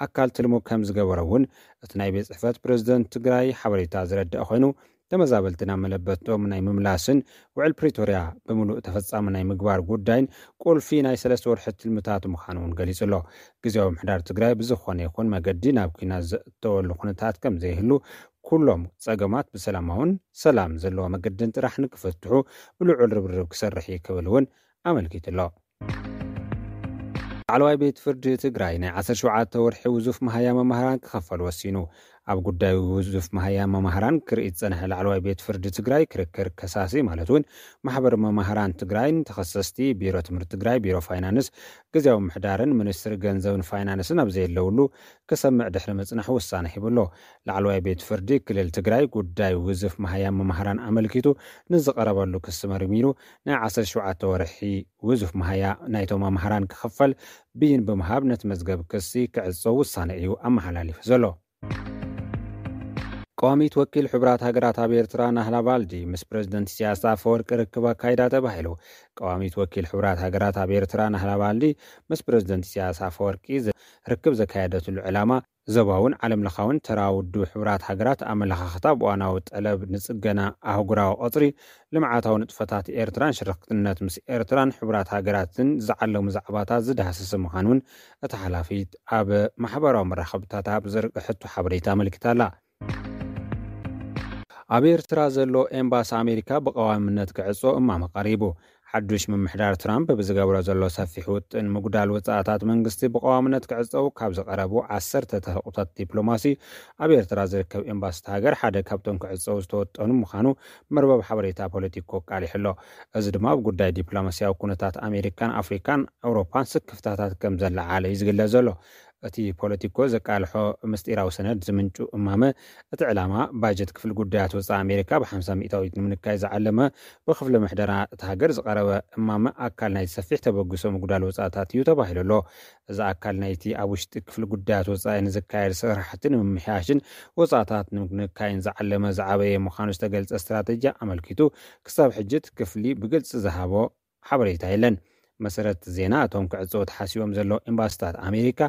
ኣካል ትልሙ ከም ዝገበረ እውን እቲ ናይ ቤት ጽሕፈት ፕሬዝደንት ትግራይ ሓበሬታ ዝረድአ ኮይኑ፣ ተመዛበልቲ ናብ መለበቶም ናይ ምምላስን ውዕል ፕሪቶርያ ብምሉእ ተፈጻሚ ናይ ምግባር ጉዳይን ቁልፊ ናይ ሰለስተ ወርሒ ትልምታት ምዃኑ እውን ገሊጹ ኣሎ። ግዜያዊ ምምሕዳር ትግራይ ብዝኾነ ይኹን መገዲ ናብ ኲናት ዘእተወሉ ኩነታት ከም ዘይህሉ፣ ኩሎም ጸገማት ብሰላማውን ሰላም ዘለዎ መገድን ጥራሕ ንክፍትሑ ብልዑል ርብርብ ክሰርሕ እዩ ክብል እውን ኣመልኪቱ ኣሎ። ላዕለዋይ ቤት ፍርዲ ትግራይ ናይ ዓሰርተ ሸውዓተ ወርሒ ውዙፍ መሃያ መማህራን ክኸፈል ወሲኑ። ኣብ ጉዳይ ውዙፍ መሃያ መማህራን ክርኢ ዝጸንሐ ላዕለዋይ ቤት ፍርዲ ትግራይ ክርክር ከሳሲ ማለት እውን ማሕበር መማህራን ትግራይን ተኸሰስቲ ቢሮ ትምህርቲ ትግራይ፣ ቢሮ ፋይናንስ፣ ግዜያዊ ምምሕዳርን ሚኒስትሪ ገንዘብን ፋይናንስን ኣብ ዘየለውሉ ክሰምዕ ድሕሪ ምጽናሕ ውሳነ ሂቡ ኣሎ። ላዕለዋይ ቤት ፍርዲ ክልል ትግራይ ጉዳይ ውዙፍ መሃያ መማህራን ኣመልኪቱ ንዝቐረበሉ ክሲ መርሚሩ ናይ ዓሰርተ ሸውዓተ ወርሒ ውዙፍ መሃያ ናይቶም መማህራን ክኽፈል ብይን ብምሃብ ነቲ መዝገብ ክሲ ክዕጾ ውሳነ እዩ ኣመሓላሊፉ ዘሎ። ቀዋሚት ወኪል ሕቡራት ሃገራት ኣብ ኤርትራ ናህላ ቫልዲ ምስ ፕሬዝደንት ኢሳያስ ኣፈወርቂ ርክብ ኣካይዳ ተባሂሉ። ቀዋሚት ወኪል ሕቡራት ሃገራት ኣብ ኤርትራ ናህላ ቫልዲ ምስ ፕሬዝደንት ኢሳያስ ኣፈወርቂ ዘ-፣ ርክብ ዘካየደትሉ ዕላማ ዞባውን ዓለም ለኻውን ተራ ውድብ ሕቡራት ሃገራት ኣመለኻኽታ ብዋናዊ ጠለብ ንጽገና ኣህጉራዊ ቐጽሪ፣ ልምዓታዊ ንጥፈታት ኤርትራን ሽርክትነት ምስ ኤርትራን ሕቡራት ሃገራትን ዝዓለሙ ዛዕባታት ዝዳህሰሰ ምዃኑ እውን እቲ ሓላፊ ኣብ ማሕበራዊ መራኸብታት ኣብ ዘርግሐቶ ሓበሬታ ኣመልኪታ ኣላ። ኣብ ኤርትራ ዘሎ ኤምባሲ ኣሜሪካ ብቐዋምነት ክዕጾ እማመ ቀሪቡ። ሓዱሽ ምምሕዳር ትራምፕ ብዝገብሮ ዘሎ ሰፊሕ ውጥን ምጉዳል ወጻእታት መንግስቲ ብቐዋምነት ክዕጸው ካብ ዝቐረቡ ዓሰርተ ተሕቑታት ዲፕሎማሲ ኣብ ኤርትራ ዝርከብ ኤምባሲ እታ ሃገር ሓደ ካብቶም ክዕጸው ዝተወጠኑ ምዃኑ መርበብ ሓበሬታ ፖለቲኮ ኣቃሊሑ ኣሎ። እዚ ድማ ኣብ ጉዳይ ዲፕሎማስያዊ ኩነታት ኣሜሪካን ኣፍሪካን ኣውሮፓን ስክፍታታት ከም ዘለዓለ እዩ ዝግለጽ ዘሎ። እቲ ፖለቲኮ ዘቃልሖ ምስጢራዊ ሰነድ ዝምንጩ እማመ፣ እቲ ዕላማ ባጀት ክፍሊ ጉዳያት ወጻኢ ኣሜሪካ ብ ሓምሳ ሚእታዊት ንምንካይ ዝዓለመ ብክፍሊ ምሕደራ እታ ሃገር ዝቐረበ እማመ ኣካል ናይቲ ሰፊሕ ተበግሶ ምጉዳል ወጻእታት እዩ ተባሂሉ ኣሎ። እዚ ኣካል ናይቲ ኣብ ውሽጢ ክፍሊ ጉዳያት ወጻኢ ንዝካየድ ስራሕቲ ንምምሕያሽን ወጻእታት ንምንካይን ዝዓለመ ዝዓበየ ምዃኑ ዝተገልጸ ስትራተጂ ኣመልኪቱ ክሳብ ሕጂ እቲ ክፍሊ ብግልጺ ዝሃቦ ሓበሬታ የለን። መሰረት ዜና፣ እቶም ክዕጸው ተሓሲቦም ዘለዉ ኤምባሲታት ኣሜሪካ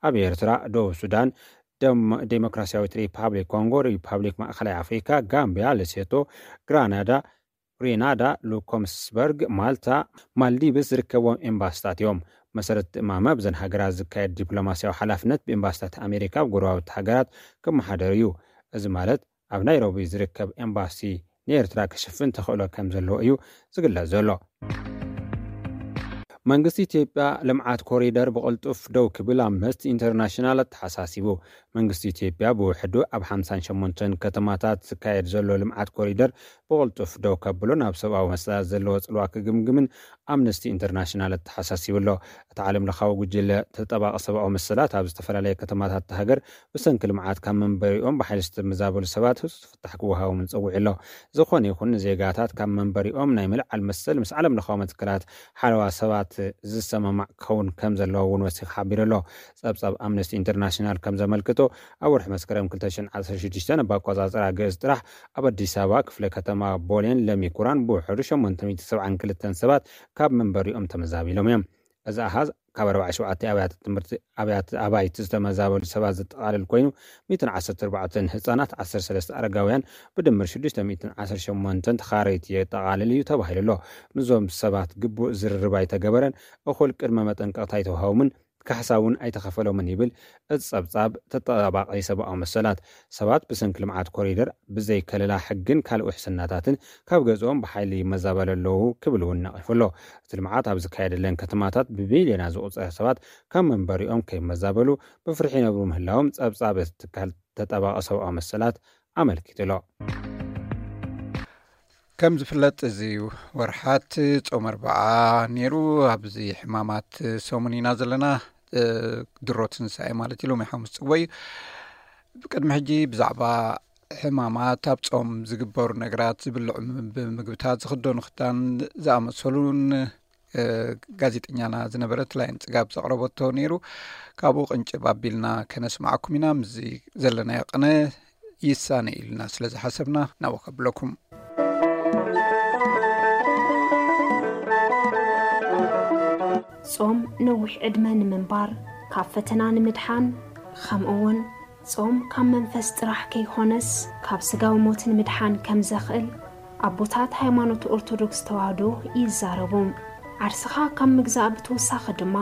ኣብ ኤርትራ፣ ደቡብ ሱዳን፣ ደም-፣ ዴሞክራሲያዊት ሪፓብሊክ ኮንጎ፣ ሪፓብሊክ ማእከላይ ኣፍሪካ፣ ጋምቢያ፣ ሌሴቶ፣ ግራናዳ፣ ግሪናዳ፣ ሉኮምስበርግ፣ ማልታ፣ ማልዲቭስ ዝርከብዎም ኤምባስታት እዮም። መሰረት እማመ፣ ብዘን ሃገራት ዝካየድ ዲፕሎማስያዊ ሓላፍነት ብኤምባስታት ኣሜሪካ ኣብ ጎረባብቲ ሃገራት ክመሓደር እዩ። እዚ ማለት ኣብ ናይሮቢ ዝርከብ ኤምባሲ ንኤርትራ ክሽፍን ተኽእሎ ከም ዘለዎ እዩ ዝግለጽ ዘሎ። መንግስቲ ኢትዮጵያ ልምዓት ኮሪደር ብቕልጡፍ ደው ክብል ኣምነስቲ ኢንተርናሽናል ኣተሓሳሲቡ። መንግስቲ ኢትዮጵያ ብውሕዱ ኣብ ሓምሳን ሸሞንተን ከተማታት ዝካየድ ዘሎ ልምዓት ኮሪደር ብቕልጡፍ ደው ከብሎ ናብ ሰብኣዊ መሰላት ዘለዎ ጽልዋ ክግምግምን ኣምነስቲ ኢንተርናሽናል ኣተሓሳሲቡ ኣሎ። እቲ ዓለም ለኻዊ ጉጅለ ተጠባቂ ሰብኣዊ መሰላት ኣብ ዝተፈላለየ ከተማታት ሃገር ብሰንኪ ልምዓት ካብ መንበሪኦም ብሓይሊ ዝተመዛበሉ ሰባት ህጹጽ ፍታሕ ክወሃቦምን ጸዊዑ ኣሎ። ዝኾነ ይኹን ንዜጋታት ካብ መንበሪኦም ናይ ምልዓል መሰል ምስ ዓለም ለኻዊ መትከላት ሓለዋ ሰባት ዝሰማማዕ ክኸውን ከም ዘለዎ እውን ወሲኹ ሓቢሩ ኣሎ። ጸብጻብ ኣምነስቲ ኢንተርናሽናል ከም ዘመልክቶ፣ ኣብ ወርሒ መስከረም ክልተ ሽሕን ዓሰርተ ሽዱሽተን ብ ኣቆጻጽራ ግእዝ ጥራሕ ኣብ ኣዲስ ኣበባ ክፍለ ከተማ ቦሌን ለሚ ኩራን ብውሕዱ ሸሞንተ ሚእቲ ሰብዓን ክልተን ሰባት ካብ መንበሪኦም ተመዛቢሎም እዮም። እዚ ኣሃዝ ካብ ኣርባዕተ ሸውዓተ ኣብያተ ትምህርቲ ኣብያተ ኣባይቲ ዝተመዛበሉ ሰባት ዘጠቓልል ኮይኑ፣ ሚእትን ዓሰርተ ኣርባዕተን ህጻናት፣ ዓሰርተ ሰለስተ ኣረጋውያን፣ ብድምር ሽዱሽተ ሚእትን ዓሰርተ ሸሞንተን ተኻረይቲ የጠቓልል እዩ ተባሂሉ ኣሎ። ምስዞም ሰባት ግቡእ ዝርርብ ኣይተገበረን፣ እኹል ቅድመ መጠንቀቕታ ኣይተዋሃቦምን፣ ካሕሳ እውን ኣይተኸፈሎምን ይብል እቲ ጸብጻብ ተጠባባቒ ሰብኣዊ መሰላት። ሰባት ብሰንኪ ልምዓት ኮሪደር ብዘይ ከለላ ሕግን ካልእ ውሕስናታትን ካብ ገዝኦም ብሓይሊ ይመዛበሉ ኣለዉ ክብል እውን ነቒፉ ኣሎ። እቲ ልምዓት ኣብ ዝካየደለን ከተማታት ብቢልዮናት ዝቑጸር ሰባት ካብ መንበሪኦም ከይመዛበሉ ብፍርሒ ይነብሩ ምህላዎም ጸብጻብ እቲ ትካል ተጠባቒ ሰብኣዊ መሰላት ኣመልኪቱ ኣሎ። ከም ዝፍለጥ፣ እዚ ወርሓት ጾም ኣርብዓ ነይሩ። ኣብዚ ሕማማት ሰሙን ኢና ዘለና። እ፣ ድሮ ትንሳኤ ማለት እዩ። ሎሚ ሓሙስ ጽዎ እዩ። ብቅድሚ ሕጂ ብዛዕባ ሕማማት፣ ኣብ ጾም ዝግበሩ ነገራት፣ ዝብልዑ ም-፣ ምግብታት፣ ዝኽደኑ ክዳን ዝኣመሰሉን፣ እ፣ ጋዜጠኛና ዝነበረት ላይን ጽጋብ ዘቕረበቶ ነይሩ። ካብኡ ቅንጭብ ኣቢልና ከነስማዓኩም ኢና። ምስዚ ዘለናዮ ቅነ ይሳነ ኢልና ስለ ዝሓሰብና ናብኡ ከብለኩም። ጾም ነዊሕ ዕድመ ንምንባር፣ ካብ ፈተና ንምድሓን፣ ከምኡ እውን ጾም ካብ መንፈስ ጥራሕ ከይኾነስ ካብ ስጋዊ ሞት ንምድሓን ከም ዘኽእል ኣቦታት ሃይማኖት ኦርቶዶክስ ተዋህዶ ይዛረቡ። ዓርስኻ ካብ ምግዛእ ብተወሳኺ ድማ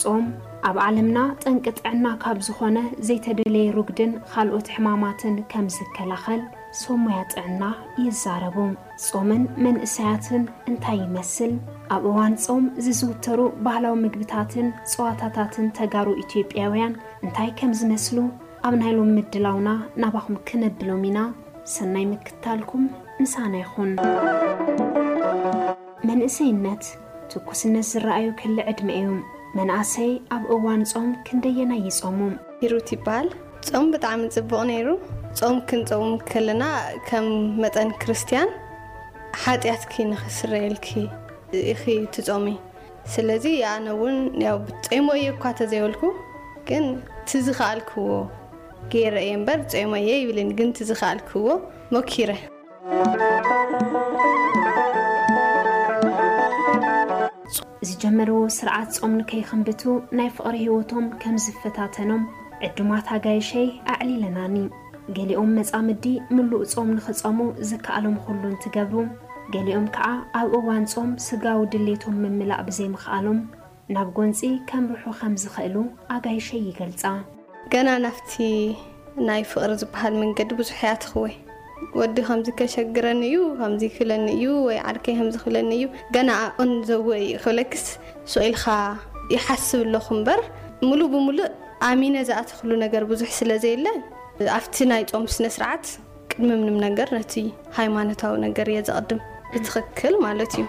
ጾም ኣብ ዓለምና ጠንቂ ጥዕና ካብ ዝኾነ ዘይተደለየ ሩግድን ካልኦት ሕማማትን ከም ዝከላኸል ሰብ ሞያ ጥዕና ይዛረቡ። ጾምን መንእሰያትን እንታይ ይመስል? ኣብ እዋን ጾም ዝዝውተሩ ባህላዊ ምግብታትን ጸዋታታትን ተጋሩ ኢትዮጵያውያን እንታይ ከም ዝመስሉ ኣብ ናይ ሎሚ ምድላውና ናባኹም ክነብሎም ኢና። ሰናይ ምክታልኩም ምሳና ይኹን። መንእሰይነት ትኩስነት ዝረኣዩ ክሊ ዕድመ እዩ። መናእሰይ ኣብ እዋን ጾም ክንደየናይ ይጾሙ? ሂሩት ይበሃል። ጾም ብጣዕሚ ጽቡቕ ነይሩ። ጾም ክንጾም ከለና ከም መጠን ክርስትያን ሓጢኣትኪ ንኽስረየልኪ ኢኺ ትጾሚ። ስለዚ ኣነ እውን ያው ጾይሞ እየ እኳ ተዘይበልኩ፣ ግን ትዝኸኣልክዎ ገይረ እየ እምበር ጾይሞ እየ ይብልን፣ ግን ትዝኸኣልክዎ ሞኪረ። ዝጀመርዎ ስርዓት ጾም ንከይኽንብቱ ናይ ፍቕሪ ህይወቶም ከም ዝፈታተኖም ዕዱማት ኣጋይሸይ ኣዕሊለናኒ። ገሊኦም መጻምዲ ምሉእ ጾም ንኽጸሙ ዝከኣሎም ኩሉ እንትገብሩ፣ ገሊኦም ከኣ ኣብ እዋን ጾም ስጋዊ ድሌቶም ምምላእ ብዘይምኽኣሎም ናብ ጎንጺ ከምርሑ ከም ዝኽእሉ ኣጋይሸይ ይገልጻ። ገና ናብቲ ናይ ፍቕሪ ዝበሃል መንገዲ ብዙሕ እያ ትኽወ። ወዲ ከምዚ ከሸግረኒ እዩ፣ ከምዚ ክብለኒ እዩ፣ ወይ ዓርከይ ከምዚ ክብለኒ እዩ፣ ገና ኣቕን ዘወ እዩ ክብለክስ ስቕ ኢልካ ይሓስብ ኣለኹ እምበር፣ ሙሉእ ብሙሉእ ኣሚነ ዝኣተኽሉ ነገር ብዙሕ ስለ ዘየለ፣ ኣብቲ ናይ ጾም ስነ ስርዓት ቅድሚ ምንም ነገር ነቲ ሃይማኖታዊ ነገር እየ ዘቕድም። ብትኽክል ማለት እዩ።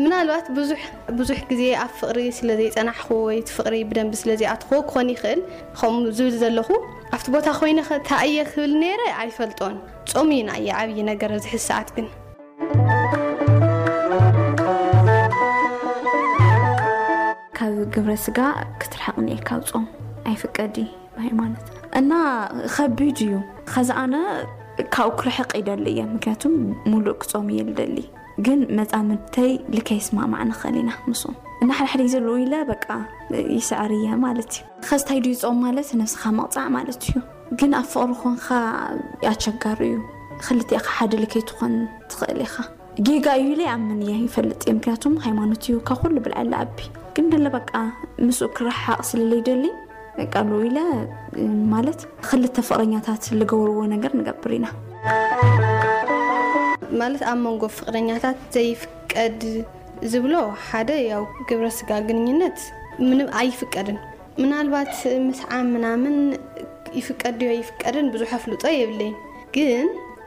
ምናልባት ብዙሕ፣ ብዙሕ ግዜ ኣብ ፍቕሪ ስለ ዘይጸናሕኩ ወይ እቲ ፍቕሪ ብደንቢ ስለ ዘይኣትኽዎ ክኾን ይኽእል። ከምኡ ዝብል ዘለኹ፣ ኣብቲ ቦታ ኮይነ ኸ እንታይ እየ ክብል ነይረ ኣይፈልጦን። ጾም እዩ ንዓይ ዓብዪ ነገር ኣብዚ ሕዚ ሰዓት ግን። ካብ ግብረ ስጋ ክትርሕቕ እኒኤካ ኣብ ጾም ኣይፍቀድ እዩ ብሃይማኖትና። እና ከቢድ እዩ። ኸዚ ኣነ ካብኡ ክርሕቕ ይደሊ እየ፣ ምክንያቱም ሙሉእ ክጾም እየ ዝደሊ። ግን መጻምድተይ ልከ ይስማማዕ ንኽእል ኢና ምስኡ። እና ሓደ ሓደ ግዜ ልኡ ኢለ በቃ ይስዕር እየ ማለት እዩ። ኸዚ እንታይ ድዩ ጾም ማለት? ነብስኻ ምቕጻዕ ማለት እዩ። ግን ኣብ ፍቕሪ ኮንካ ኣቸጋሪ እዩ። ክልቲኣኻ ሓደ ልከይ ትኾን ትኽእል ኢኻ። ጌጋ እዩ ኢለ ይኣምን እየ፣ ይፈልጥ እየ። ምክንያቱም ሃይማኖት እዩ ካብ ኩሉ ብልዓሊ ዓቢ። ግን ደለ በቃ ምስኡ ክረሓቕ ስለለይደሊ በቃ ሉ ኢለ፣ ማለት ክልተ ፍቕረኛታት ዝገብርዎ ነገር ንገብር ኢና። ማለት ኣብ መንጎ ፍቕረኛታት ዘይፍቀድ ዝብሎ ሓደ ያው ግብረ ስጋ ግንኙነት ምንም ኣይፍቀድን። ምናልባት ምስዓም ምናምን ይፍቀድ ድዮ ይፍቀድን ብዙሕ ኣፍልጦ የብለይን። ግን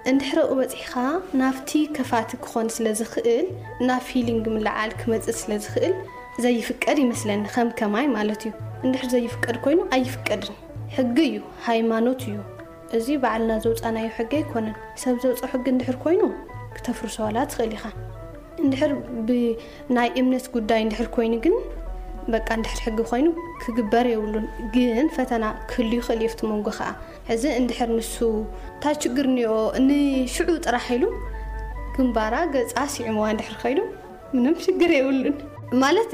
እንድሕር ኣብኡ በጺሕካ ናብቲ ከፋቲ ክኾን ስለ ዝኽእል፣ ናብ ፊሊንግ ምልዓል ክመጽእ ስለ ዝኽእል ዘይፍቀድ ይመስለኒ፣ ከም ከማይ ማለት እዩ። እንድሕር ዘይፍቀድ ኮይኑ ኣይፍቀድን። ሕጊ እዩ፣ ሃይማኖት እዩ። እዚ ባዕልና ዘውጻናዮ ሕጊ ኣይኮነን። ሰብ ዘውጾ ሕጊ እንድሕር ኮይኑ ክተፍርሶ ዋላ ትኽእል ኢኻ። እንድሕር ብናይ እምነት ጉዳይ እንድሕር ኮይኑ ግን በቃ እንድሕር ሕጊ ኮይኑ ክግበር የብሉን። ግን ፈተና ክህሉ ይኽእል እዩ ኣብቲ መንጎ ከዓ። ሕዚ እንድሕር ንሱ እንታይ ችግር እኒኦ ንሽዑ ጥራሕ ኢሉ ግንባራ ገጻ ስዒምዋ እንድሕር ከይዱ ምንም ሽግር የብሉን። ማለት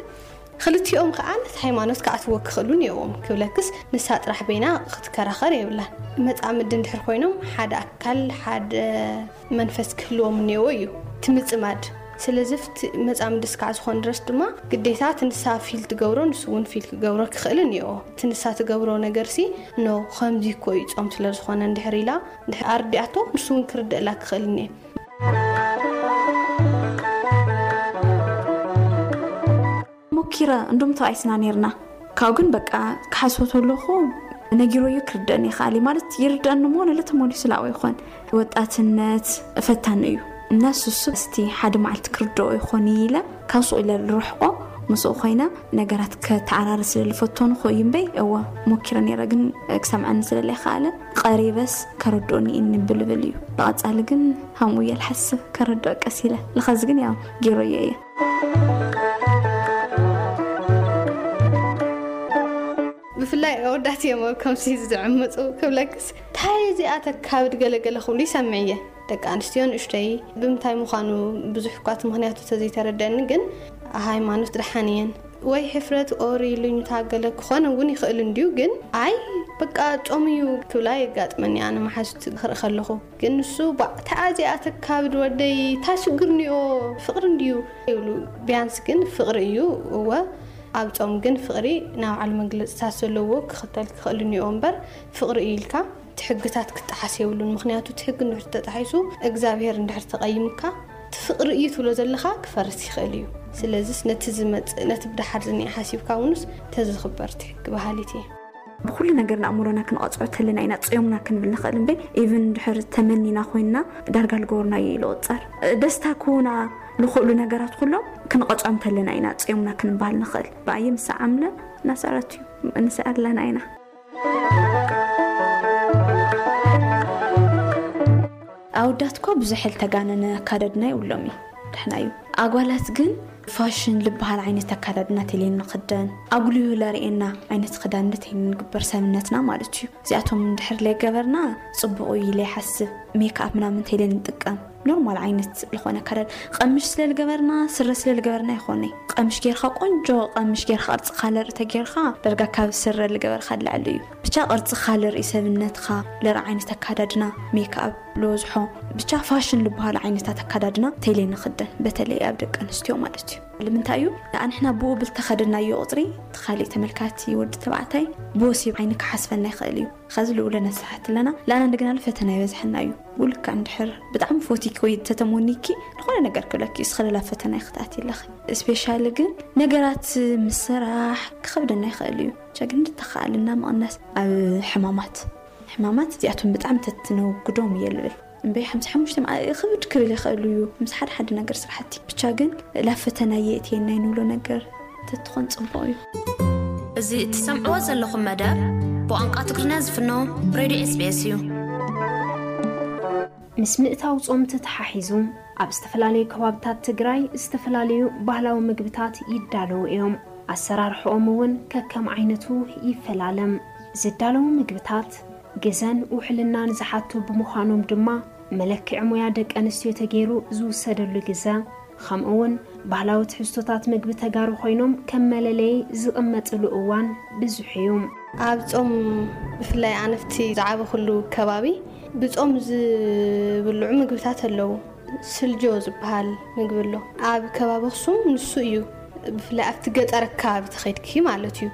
ክልቲኦም ከዓ ነቲ ሃይማኖት ክኣትዎ ክኽእሉ እኒኦዎም። ክብለክስ ንሳ ጥራሕ በይና ክትከራኸር የብላን። መጻምዲ እንድሕር ኮይኖም ሓደ ኣካል ሓደ መንፈስ ክህልዎም እኒኦዎ እዩ እቲ ምጽማድ። ስለዚ ኣብቲ መጻምዲ እስካዕ ዝኾን ድረስ ድማ ግዴታ እቲ ንሳ ፊል ትገብሮ ንሱ እውን ፊል ክገብሮ ክኽእል እኒኦ። እቲ ንሳ ትገብሮ ነገር ሲ ኖ ከምዚ እኮ እዩ ጾም ስለ ዝኾነ እንድሕር ኢላ እንድሕር ኣርዲኣቶ ንሱ እውን ክርደእላ ክኽእል እኒኤ። ሞኪረ እንዶም ተባኢስና ነርና። ካብኡ ግን በቃ ክሓስቦ ተለኹ ነጊረዮ ክርደእኒ ይኽኣል እዩ። ማለት ይርደእኒ እሞ ነለ ተመሊሱ ላዕወ ይኾን። ወጣትነት ፈታኒ እዩ። እና ሱሱ እስቲ ሓደ መዓልቲ ክርደኦ ይኾን ኢለ ካብ ሱቕ ኢለ ልርሕቆ ምስኡ ኮይነ ነገራት ከተዓራሪ ስለ ልፈተኑ ኮ እዩ እምበይ እወ ሞኪረ ነይረ ግን ክሰምዐኒ ስለ ለይኸኣለ ቀሪበስ ከረድኦኒ እኒ ብልብል እዩ። ብቐጻሊ ግን ሃምኡ እየ ልሓስብ ከረድኦ ቀስ ኢለ። ለኸዚ ግን ያው ጌረዮ እየ። ብፍላይ ኣወዳት እዮም ኣብ ከምሲ ዝዕምፁ። ክብለክስ እንታይ እዚኣ ተካብድ ገለገለ ክብሉ ይሰምዕ እየ። ደቂ ኣንስትዮ ንእሽተይ ብምንታይ ምዃኑ ብዙሕ እኳ እቲ ምኽንያቱ ተዘይተረደኒ ግን ሃይማኖት ደሓን እየን ወይ ሕፍረት ኦር ኢሉኝታ ገለ ክኾን እውን ይኽእል እንድዩ ግን ኣይ በቃ ጾም እዩ ክብላ የጋጥመኒ ኣነ መሓዙት ክርኢ ከለኹ። ግን ንሱ ባዕ ተኣዚኣ ተካብድ ወደይ ታይ ሽግር እኒኦ ፍቕሪ እንድዩ ይብሉ። ቢያንስ ግን ፍቕሪ እዩ እወ ኣብ ጾም ግን ፍቕሪ ናይ ባዕሉ መግለፅታት ዘለዎ ክኽተል ክኽእል እኒኦ እምበር ፍቕሪ እዩ ኢልካ እቲ ሕግታት ክጠሓስ የብሉን። ምኽንያቱ እቲ ሕጊ እንድሕር ተጣሒሱ እግዚኣብሄር እንድሕር ተቐይምካ እቲ ፍቕሪ እዩ ትብሎ ዘለኻ ክፈርስ ይኽእል እዩ። ስለዚስ ነቲ ዝመፅእ ነቲ ብደሓር ዝኒአ ሓሲብካ እውንስ ተዝኽበር እቲ ሕጊ በሃሊት እየ። ብኩሉ ነገርና ኣእምሮና ክንቐጽዖ ተለና ኢና ጽዮምና ክንብል ንኽእል እምበይ ኢቭን ድሕር ተመኒና ኮይንና ዳርጋ ልገብርናዮ እዩ ልቑጸር። ደስታ ክህቡና ልኽእሉ ነገራት ኩሎም ክንቐጽዖም ተለና ኢና ጽዮምና ክንበሃል ንኽእል። ብኣየ ምስ ዓምለ እናሰረት እዩ ንስዕር ኣለና ኢና። ኣወዳት እኳ ብዙሕ ልተጋነነ ኣካዳድና የብሎም እዩ ደሕና እዩ። ኣጓላት ግን ፋሽን ልበሃል ዓይነት ኣካዳድና ተልየን ንኽደን ኣጉልሁ ለርእየና ዓይነት ክዳን ተይን ንግበር ሰብነትና ማለት እዩ። እዚኣቶም እንድሕር ለይገበርና ጽቡቕ እዩ ኢለ ይሓስብ። ሜክኣፕ ምናምን ተይለን ንጥቀም ኖርማል ዓይነት ዝኾነ ኣካዳድ ቀምሽ ስለ ልገበርና ስረ ስለ ልገበርና ይኾነ። ቀምሽ ጌርካ ቆንጆ ቀምሽ ጌርካ ቅርጽ ካለር ተጌርካ ደርጋ ካብ ስረ ልገበርካ ልዕሊ እዩ። ብቻ ቅርጽ ካለር ሰብነትካ ለር ዓይነት ኣካዳድና ሜክኣፕ ልወዝሖ ብቻ ፋሽን ልበሃሉ ዓይነታት ኣካዳድና ተይለ ንኽደን በተለይ ኣብ ደቂ ኣንስትዮ ማለት እዩ። ንምንታይ እዩ ንኣንሕና ብኡ ብልተኸደናዮ ቁፅሪ እቲ ካሊእ ተመልካቲ ወዲ ተባዕታይ ብወሲብ ዓይኒ ክሓስበና ይኽእል እዩ። ኸዚ ልኡለ ነስሓት ኣለና ላና እንደገና ፈተና ይበዝሐና እዩ። ብኡ ልክዕ እንድሕር ብጣዕሚ ፎቲኪ ወይ ተተሞኒኪ ዝኾነ ነገር ክብለኪ እስኸለላ ፈተና ይክትኣት ይለኺ። ስፔሻሊ ግን ነገራት ምስራሕ ክኸብደና ይኽእል እዩ። ቸግን እንተኸኣልና ምቕናስ ኣብ ሕማማት ሕማማት እዚኣቶም ብጣዕሚ ተትነውግዶም እየ ልብል እምበይ ሓምሳ ሓሙሽተ መዓ ክብድ ክብል ይኽእል እዩ ምስ ሓደ ሓደ ነገር ስራሕቲ ብቻ ግን ላብ ፈተና የእትየና ንብሎ ነገር ተትኾን ፅቡቕ እዩ። እዚ እትሰምዕዎ ዘለኹም መደብ ብቋንቋ ትግርኛ ዝፍኖ ሬድዮ ኤስቢኤስ እዩ። ምስ ምእታው ጾም ተተሓሒዙ ኣብ ዝተፈላለዩ ከባብታት ትግራይ ዝተፈላለዩ ባህላዊ ምግብታት ይዳለዉ እዮም። ኣሰራርሕኦም እውን ከከም ዓይነቱ ይፈላለም። ዝዳለዉ ምግብታት ግዘን ውሕልናን ዝሓቱ ብምዃኖም ድማ መለክዒ ሙያ ደቂ ኣንስትዮ ተገይሩ ዝውሰደሉ ግዘ ከምኡ እውን ባህላዊ ትሕዝቶታት ምግቢ ተጋሩ ኮይኖም ከም መለለዪ ዝቕመጥሉ እዋን ብዙሕ እዩ። ኣብ ጾም ብፍላይ ኣነፍቲ ዝዓበኹሉ ከባቢ ብጾም ዝብልዑ ምግብታት ኣለዉ። ስልጆ ዝበሃል ምግቢ ኣሎ። ኣብ ከባቢ ኣኽሱም ንሱ እዩ፣ ብፍላይ ኣብቲ ገጠር ኣከባቢ ተኸድኪ ማለት እዩ።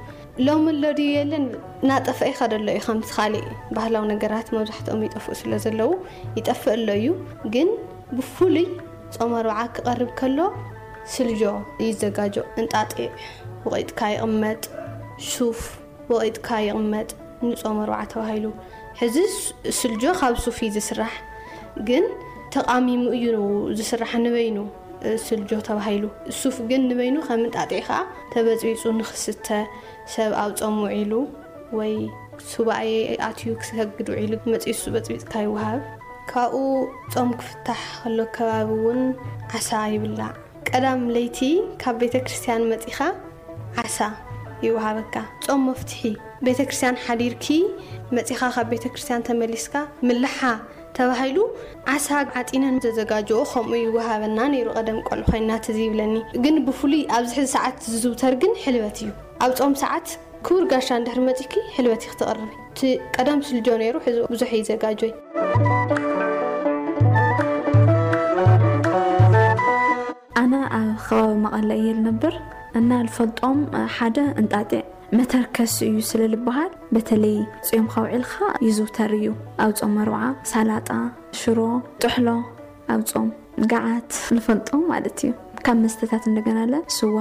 ሎሚ ኣሎ ድዩ የለን? እናጠፍአ ይኸዶ ኣሎ እዩ። ከምቲ ካልእ ባህላዊ ነገራት መብዛሕትኦም ይጠፍኡ ስለ ዘለዉ ይጠፍእ ኣሎ እዩ። ግን ብፍሉይ ጾም ኣርብዓ ክቐርብ ከሎ ስልጆ ይዘጋጆ። እንጣጢዕ ወቒጥካ ይቕመጥ፣ ሱፍ ወቒጥካ ይቕመጥ፣ ንጾም ኣርብዓ ተባሂሉ። ሕዚ ስ- ስልጆ ካብ ሱፍ እዩ ዝስራሕ፣ ግን ተቓሚሙ እዩ ዝስራሕ ንበይኑ፣ እ፣ ስልጆ ተባሂሉ። ሱፍ ግን ንበይኑ ከም እንጣጢዕ ከዓ ተበፅቢፁ ንክስተ፣ ሰብ ኣብ ጾም ውዒሉ ወይ ሱባኤ ኣትዩ ክሰግድ ውዒሉ መፂኡ እሱ በፅቢፅካ ይወሃብ። ካብኡ ጾም ክፍታሕ ከሎ ከባቢ እውን ዓሳ ይብላዕ። ቀዳም ለይቲ ካብ ቤተ ክርስቲያን መፂኻ ዓሳ ይወሃበካ። ጾም መፍትሒ፣ ቤተ ክርስቲያን ሓዲርኪ መፂኻ ካብ ቤተ ክርስቲያን ተመሊስካ ምላሓ ተባሂሉ ዓሳ ዓጢነን ዘዘጋጀኦ ከምኡ ይወሃበና ነይሩ። ቀደም ቆልዑ ኮይና ትዝ ይብለኒ። ግን ብፍሉይ ኣብዚ ሕዚ ሰዓት ዝዝውተር ግን ሕልበት እዩ። ኣብ ጾም ሰዓት ክቡር ጋሻ እንድሕር መፂኪ ሕልበት እዩ ክትቕርቢ። እቲ ቀደም ስልጆ ነይሩ፣ ሕዚ ብዙሕ ይዘጋጆ እዩ። ኣነ ኣብ ከባቢ መቐለ እየ ዝነብር እና ልፈልጦም ሓደ እንጣጢዕ መተርከሲ እዩ ስለ ልበሃል፣ በተለይ ጾምካ ውዒልካ ይዝውተር እዩ። ኣብ ጾም ኣርብዓ ሳላጣ፣ ሽሮ፣ ጥሕሎ ኣብ ጾም፣ ገዓት ልፈልጦም ማለት እዩ። ካብ መስተታት እንደገና ለ ስዋ፣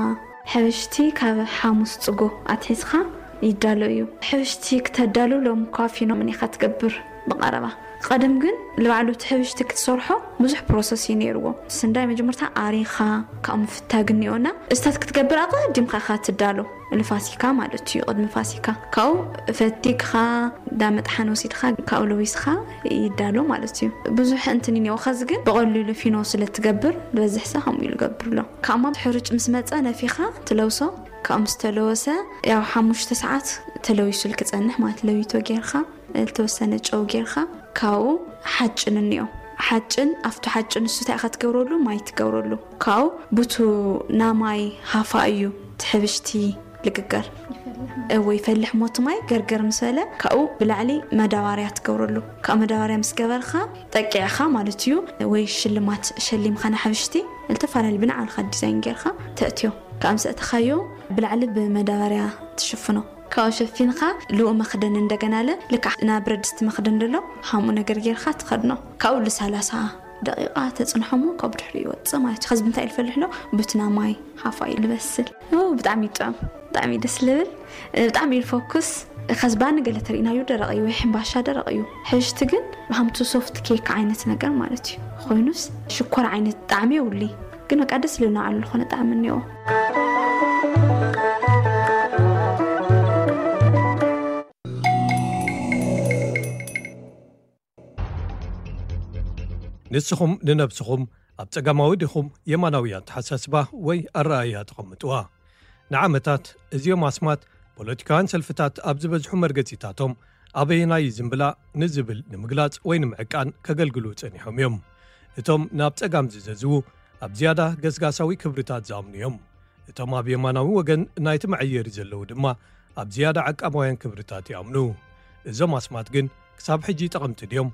ሕብሽቲ ካብ ሓሙስ ጽጎ ኣትሒዝካ ይዳሎ እዩ። ሕብሽቲ ክተዳሉ ሎም ኳፊኖ ምን ኢኻ ትገብር ብቐረባ። ቀደም ግን ልባዕሉ እቲ ሕብሽቲ ክትሰርሖ ብዙሕ ፕሮሰስ እዩ ነይርዎ። ስንዳይ መጀመርታ ኣሪኻ ካብኡ ምፍታግ እኒኦና እስታት ክትገብር ኣቐዲምካ ኢኻ ትዳሎ። ንፋሲካ ማለት እዩ። ቅድሚ ፋሲካ ካብኡ ፈቲግኻ ዳመጥሓን ወሲድካ ካብኡ ለዊስካ ይዳሎ ማለት እዩ። ብዙሕ እንትን እኒኦ። ከዚ ግን ብቐሊሉ ፊኖ ስለ ትገብር ዝበዝሕ ሰብ ከምኡ ኢሉ ገብር ኣሎ። ካብ ማብ ሕሩጭ ምስ መፀ ነፊኻ ትለውሶ። ካብ ምስ ተለወሰ ያው ሓሙሽተ ሰዓት ተለዊሱል ክፀንሕ ማለት ለዊቶ ጌርካ ዝተወሰነ ጨው ጌርካ ካብኡ ሓጭን እኒኦ። ሓጭን ኣብቱ ሓጭን እሱ እንታይ ኢኻ ትገብረሉ? ማይ ትገብረሉ። ካብኡ ቡቱ ናማይ ሃፋ እዩ ትሕብሽቲ ልግገር ወይ ፈልሕ ሞት ማይ ገርገር ምስ በለ ካብኡ ብላዕሊ መዳባርያ ትገብረሉ። ካብ መዳባርያ ምስ ገበርካ ጠቂዕካ ማለት እዩ። ወይ ሽልማት ሸሊምካ ንሕብሽቲ ዝተፈላለዩ ብንዓልካ ዲዛይን ጌርካ ተእትዮ። ካብ ምስ ኣእተኻዮ ብላዕሊ ብመዳባርያ ትሽፍኖ። ካብኡ ሸፊንካ ልኡ መኽደን እንደገና ለ ልክዕ ናብ ብረድስቲ መኽደን ደሎ ሃምኡ ነገር ጌርካ ትኸድኖ። ካብኡ ል30 ደቂቃ ተጽንሖሞ ካብ ድሕሪ ይወጽእ ማለት እዩ። ከዚ ብምንታይ ልፈልሕ ሎ? ቡትና ማይ ሃፋ እዩ ልበስል። ኦ፣ ብጣዕሚ ይጥዕም፣ ብጣዕሚ ደስ ልብል፣ ብጣዕሚ እዩ ፎኩስ። ከዚ ባኒ ገለ ተሪእናዩ ደረቕ እዩ፣ ወይ ሕምባሻ ደረቕ እዩ። ሕብሽቲ ግን ሃምቱ ሶፍት ኬክ ዓይነት ነገር ማለት እዩ። ኮይኑስ ሽኮር ዓይነት ጣዕሚ የብሉይ፣ ግን በቃ ደስ ልብል ንባዕሉ ዝኾነ ጣዕሚ እኒኦ። ንስኹም ንነብስኹም ኣብ ጸጋማዊ ዲኹም የማናዊ ኣተሓሳስባ ወይ ኣረኣእያ ተቐምጥዋ? ንዓመታት እዚኦም ኣስማት ፖለቲካውያን ሰልፍታት ኣብ ዝበዝሑ መርገጺታቶም ኣበየናይ ዝምብላ ንዝብል ንምግላጽ ወይ ንምዕቃን ከገልግሉ ጸኒሖም እዮም። እቶም ናብ ጸጋም ዝዘዝዉ ኣብ ዝያዳ ገስጋሳዊ ክብርታት ዝኣምኑ እዮም። እቶም ኣብ የማናዊ ወገን ናይቲ መዐየሪ ዘለዉ ድማ ኣብ ዝያዳ ዓቃባውያን ክብርታት ይኣምኑ። እዞም ኣስማት ግን ክሳብ ሕጂ ጠቐምቲ ድዮም?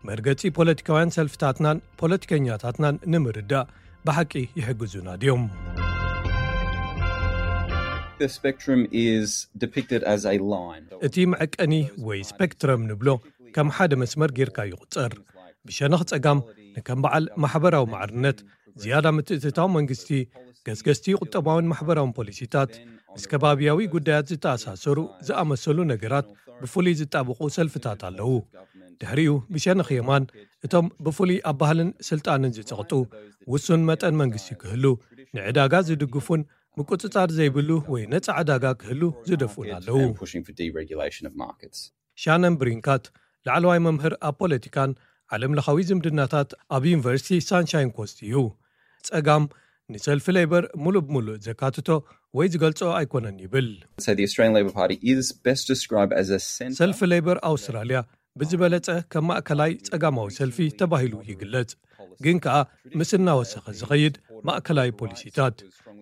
መርገጺ ፖለቲካውያን ሰልፍታትናን ፖለቲከኛታትናን ንምርዳእ ብሓቂ ይሕግዙና ድዮም? The spectrum is depicted as a line. እቲ መዐቀኒ ወይ ስፔክትረም ንብሎ ከም ሓደ መስመር ጌርካ ይቑጸር። ብሸነኽ ጸጋም ንከም በዓል ማሕበራዊ ማዕርነት፣ ዝያዳ ምትእትታው መንግስቲ፣ ገስገስቲ ቁጠባውን ማሕበራውን ፖሊሲታት፣ ምስ ከባብያዊ ጉዳያት ዝተኣሳሰሩ ዝኣመሰሉ ነገራት ብፍሉይ ዝጣበቑ ሰልፍታት ኣለዉ። ድሕሪኡ ብሸነኽ የማን እቶም ብፍሉይ ኣብ ባህልን ስልጣንን ዝጸቕጡ፣ ውሱን መጠን መንግስቲ ክህሉ፣ ንዕዳጋ ዝድግፉን ምቁጽጻር ዘይብሉ ወይ ነጻ ዕዳጋ ክህሉ ዝደፍኡን ኣለዉ። Pushing for deregulation of markets. ሻነን ብሪንካት ላዕለዋይ መምህር ኣብ ፖለቲካን ዓለምለኻዊ ዝምድናታት ኣብ ዩኒቨርሲቲ ሳንሻይን ኮስት እዩ። ጸጋም ንሰልፊ ሌበር ሙሉእ ብሙሉእ ዘካትቶ ወይ ዝገልጾ ኣይኮነን ይብል። So the Australian Labor Party is best described as a centre. ሰልፊ ሌበር ኣውስትራልያ ብዝበለጸ ከም ማእከላይ ጸጋማዊ ሰልፊ ተባሂሉ ይግለጽ፣ ግን ከኣ ምስ እናወሰኸ ዝኸይድ ማእከላይ ፖሊሲታት።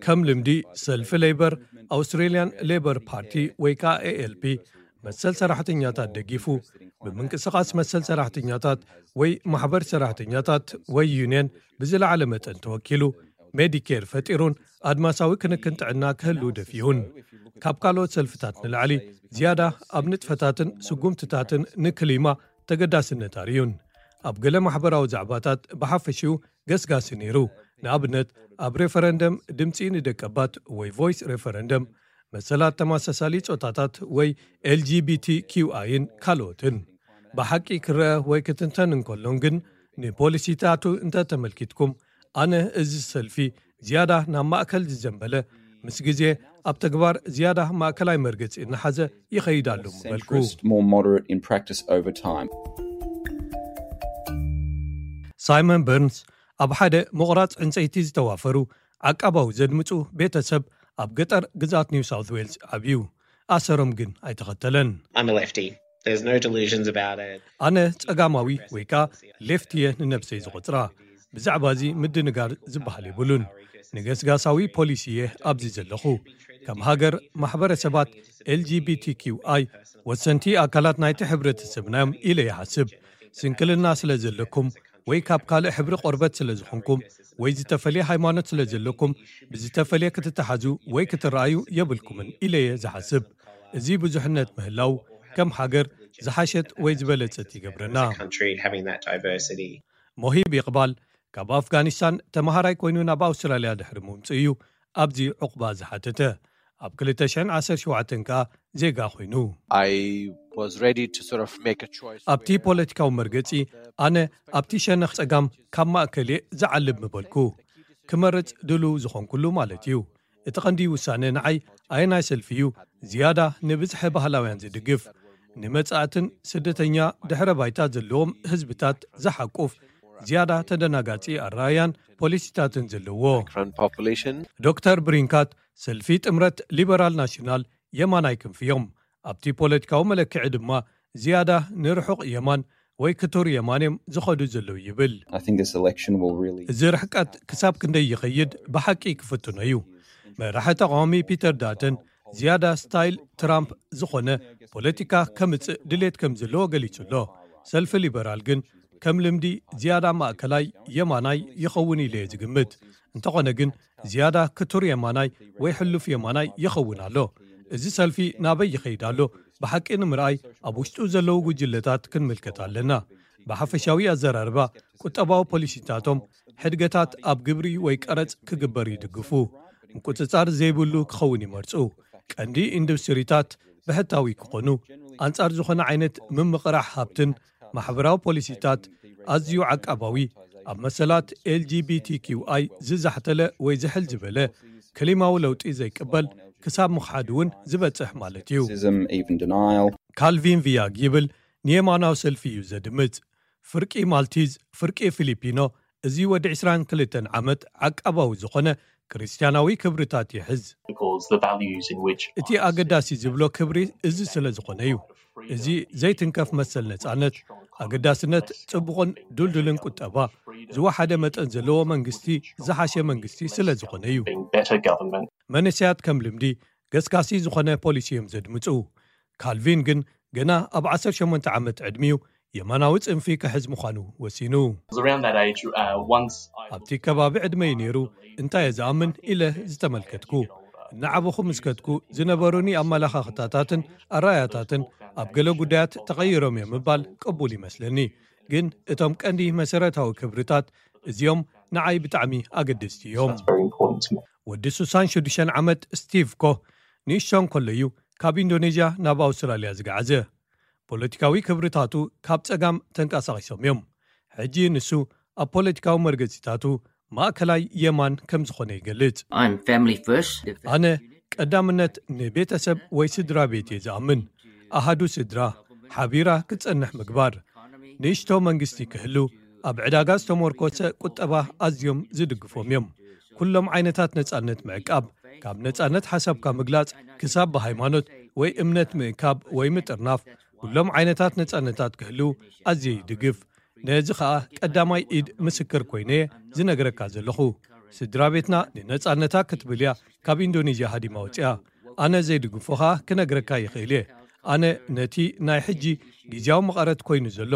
ከም ልምዲ ሰልፊ ሌበር፣ ኣውስትሬልያን ሌበር ፓርቲ ወይ ከኣ ኤኤልፒ፣ መሰል ሰራሕተኛታት ደጊፉ፣ ብምንቅስቓስ መሰል ሰራሕተኛታት ወይ ማሕበር ሰራሕተኛታት ወይ ዩንየን ብዝለዓለ መጠን ተወኪሉ፣ ሜዲኬር ፈጢሩን ኣድማሳዊ ክንክን ጥዕና ክህሉ ደፊኡን። ካብ ካልኦት ሰልፍታት ንላዕሊ ዝያዳ ኣብ ንጥፈታትን ስጉምትታትን ንክሊማ ተገዳስነት ኣርእዩን። ኣብ ገለ ማሕበራዊ ዛዕባታት ብሓፈሽኡ ገስጋሲ ነይሩ። ንኣብነት ኣብ ሬፈረንደም ድምፂ ንደቀባት ወይ ቮይስ ሬፈረንደም፣ መሰላት ተመሳሳሊ ጾታታት ወይ ኤልጂቢቲኪውኣይን ካልኦትን። ብሓቂ ክረአ ወይ ክትንተን እንከሎን ግን ንፖሊሲታቱ እንተተመልኪትኩም፣ ኣነ እዚ ሰልፊ ዝያዳ ናብ ማእከል ዝዘንበለ፣ ምስ ግዜ ኣብ ተግባር ዝያዳ ማእከላይ መርገጺ እናሓዘ ይኸይድ ኣሎ ምበልኩ። Centrist, more moderate in practice over time. ሳይመን በርንስ ኣብ ሓደ ምቑራጽ ዕንጸይቲ ዝተዋፈሩ ዓቃባዊ ዘድምጹ ቤተሰብ ኣብ ገጠር ግዛት ኒው ሳውት ዌልስ ዓብዩ። ኣሰሮም ግን ኣይተኸተለን። I'm a lefty. There's no delusions about it. ኣነ ጸጋማዊ ወይ ከኣ ሌፍት እየ ንነብሰይ ዝቖጽራ። ብዛዕባ እዚ ምድንጋር ዝበሃል የብሉን። ንገስጋሳዊ ፖሊሲ እየ ኣብዚ ዘለኹ። ከም ሃገር ማሕበረሰባት ኤልጂቢቲኪውኣይ ወሰንቲ ኣካላት ናይቲ ሕብረተሰብና እዮም ኢለ ይሓስብ። ስንክልና ስለ ዘለኩም ወይ ካብ ካልእ ሕብሪ ቆርበት ስለ ዝኾንኩም ወይ ዝተፈልየ ሃይማኖት ስለ ዘለኩም ብዝተፈልየ ክትተሓዙ ወይ ክትረኣዩ የብልኩምን ኢለ እየ ዝሓስብ። እዚ ብዙሕነት ምህላው ከም ሃገር ዝሓሸት ወይ ዝበለጸት ይገብረና። Country having that diversity. ሞሂብ ይቕባል ካብ ኣፍጋኒስታን ተመሃራይ ኮይኑ ናብ ኣውስትራልያ ድሕሪ ምምጽኡ እዩ ኣብዚ ዕቑባ ዝሓተተ። ኣብ ክልተ ሽሕን ዓሰርተ ሸውዓተን ከኣ ዜጋ ኮይኑ። I was ready to sort of make a choice. ኣብቲ ፖለቲካዊ መርገጺ ኣነ ኣብቲ ሸነኽ ጸጋም ካብ ማእከል እየ ዝዓልብ ምበልኩ። ክመርጽ ድሉው ዝኾንኩሉ ማለት እዩ። እቲ ቀንዲ ውሳነ ንዓይ ኣየናይ ሰልፊ እዩ ዝያዳ ንብዝሒ ባህላውያን ዝድግፍ? ንመጻእትን ስደተኛ ድሕረ ባይታ ዘለዎም ህዝብታት ዝሓቁፍ ዝያዳ ተደናጋጺ ኣረኣያን ፖሊሲታትን ዘለዎ። Immigrant population. ዶክተር ብሪንካት ሰልፊ ጥምረት ሊበራል ናሽናል የማናይ ክንፊ እዮም። ኣብቲ ፖለቲካዊ መለክዒ ድማ ዝያዳ ንርሑቕ የማን ወይ ክቱር የማን እዮም ዝኸዱ ዘለዉ ይብል። I think this election will really እዚ ርሕቀት ክሳብ ክንደይ ይኸይድ ብሓቂ ክፍትኖ እዩ። መራሒ ተቃዋሚ ፒተር ዳተን ዝያዳ ስታይል ትራምፕ ዝኾነ ፖለቲካ ከምጽእ ድሌት ከም ዘለዎ ገሊጹ ኣሎ። ሰልፊ ሊበራል ግን ከም ልምዲ ዝያዳ ማእከላይ የማናይ ይኸውን ኢለ እየ ዝግምት። እንተኾነ ግን ዝያዳ ክቱር የማናይ ወይ ሕሉፍ የማናይ ይኸውን ኣሎ። እዚ ሰልፊ ናበይ ይኸይድ ኣሎ ብሓቂ ንምርኣይ ኣብ ውሽጡ ዘለዉ ጉጅለታት ክንምልከት ኣለና። ብሓፈሻዊ ኣዘራርባ ቁጠባዊ ፖሊሲታቶም ሕድገታት ኣብ ግብሪ ወይ ቀረጽ ክግበር ይድግፉ። ምቁጽጻር ዘይብሉ ክኸውን ይመርጹ። ቀንዲ ኢንዱስትሪታት ብሕታዊ ክኾኑ፣ ኣንጻር ዝኾነ ዓይነት ምምቕራሕ ሃብትን ማሕበራዊ ፖሊሲታት ኣዝዩ ዓቃባዊ፣ ኣብ መሰላት ኤልጂቢቲኪውኣይ ዝዛሕተለ ወይ ዝሕል ዝበለ ክሊማዊ ለውጢ ዘይቅበል ክሳብ ምኽሓድ እውን ዝበጽሕ ማለት እዩ። Racism, even denial. ካልቪን ቪያግ ይብል ንየማናዊ ሰልፊ እዩ ዘድምጽ። ፍርቂ ማልቲዝ፣ ፍርቂ ፊሊፒኖ፣ እዚ ወዲ ዕስራን ክልተን ዓመት ዓቃባዊ ዝኾነ ክርስትያናዊ ክብርታት ይሕዝ። Because the values in which እቲ ኣገዳሲ ዝብሎ ክብሪ እዚ ስለ ዝኾነ እዩ። እዚ ዘይትንከፍ መሰል ነጻነት፣ ኣገዳስነት ጽቡቕን ድልዱልን ቁጠባ፣ ዝወሓደ መጠን ዘለዎ መንግስቲ፣ ዝሓሸ መንግስቲ ስለ ዝኾነ እዩ። Being better government. መንእሰያት ከም ልምዲ ገስጋሲ ዝኾነ ፖሊሲ እዮም ዘድምጹ። ካልቪን ግን ገና ኣብ ዓሰርተ ሸሞንተ ዓመት ዕድሚኡ የማናዊ ጽንፊ ክሕዝ ምዃኑ ወሲኑ። Around that age, uh, once I ኣብቲ ከባቢ ዕድመይ ነይሩ እንታይ እየ ዝኣምን ኢለ ዝተመልከትኩ። እናዓበኹ ምስ ከድኩ ዝነበሩኒ ኣመላኻኽታታትን ኣረኣያታትን ኣብ ገለ ጉዳያት ተቐይሮም እዮም ምባል ቅቡል ይመስለኒ። ግን እቶም ቀንዲ መሰረታዊ ክብርታት እዚኦም ንዓይ ብጣዕሚ ኣገደስቲ እዮም። That's very important to me. ወዲ ስሳን ሽዱሽተን ዓመት ስቲቭ ኮህ ንእሽቶ እንከሎ እዩ ካብ ኢንዶኔዥያ ናብ ኣውስትራልያ ዝገዓዘ። ፖለቲካዊ ክብርታቱ ካብ ጸጋም ተንቀሳቒሶም እዮም። ሕጂ ንሱ ኣብ ፖለቲካዊ መርገጺታቱ ማእከላይ የማን ከም ዝኾነ ይገልጽ። I'm family first. ኣነ ቀዳምነት ንቤተሰብ ወይ ስድራ ቤት እየ ዝኣምን። ኣሃዱ ስድራ ሓቢራ ክትጸንሕ ምግባር፣ ንእሽቶ መንግስቲ ክህሉ፣ ኣብ ዕዳጋ ዝተመርኮሰ ቁጠባ ኣዝዮም ዝድግፎም እዮም። ኩሎም ዓይነታት ነጻነት ምዕቃብ፣ ካብ ነጻነት ሓሳብካ ምግላጽ ክሳብ ብሃይማኖት ወይ እምነት ምእካብ ወይ ምጥርናፍ፣ ኩሎም ዓይነታት ነጻነታት ክህልው ኣዝየ ይድግፍ። ነዚ ኸኣ ቀዳማይ ኢድ ምስክር ኮይነ እየ ዝነግረካ ዘለኹ። ስድራ ቤትና ንነጻነታ ክትብል እያ ካብ ኢንዶኔዥያ ሃዲማ ወጺኣ። ኣነ ዘይድግፎ ኸኣ ክነግረካ ይኽእል እየ። ኣነ ነቲ ናይ ሕጂ ግዜያዊ መቐረት ኮይኑ ዘሎ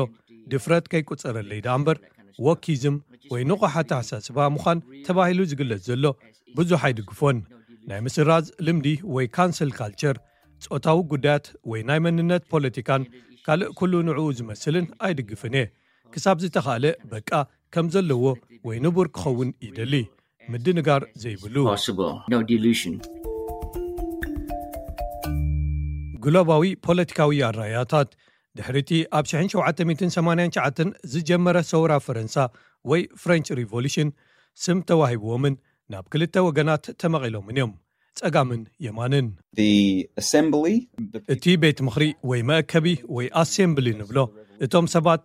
ድፍረት ከይቁጸረለይ ደኣ እምበር፣ ወኪዝም ወይ ንቑሕ ኣተሓሳስባ ምዃን ተባሂሉ ዝግለጽ ዘሎ ብዙሕ ኣይድግፎን። ናይ ምስራዝ ልምዲ ወይ ካንስል ካልቸር፣ ጾታዊ ጉዳያት ወይ ናይ መንነት ፖለቲካን ካልእ ኩሉ ንዕኡ ዝመስልን ኣይድግፍን እየ። ክሳብ ዝተኻእለ በቃ ከም ዘለዎ ወይ ንቡር ክኸውን ይደሊ። ምድንጋር ዘይብሉ። Possible. No delusion. ግሎባዊ ፖለቲካዊ ኣራያታት ድሕሪቲ ኣብ ሽሕን ሸውዓተ ሚእትን ሰማንያን ትሽዓተን ዝጀመረ ሰውራ ፈረንሳ ወይ ፍሬንች ሪቮሉሽን ስም ተዋሂብዎምን ናብ ክልተ ወገናት ተመቒሎምን እዮም፣ ጸጋምን የማንን። The assembly, the እቲ ቤት ምኽሪ ወይ መእከቢ ወይ ኣሴምብሊ ንብሎ፣ እቶም ሰባት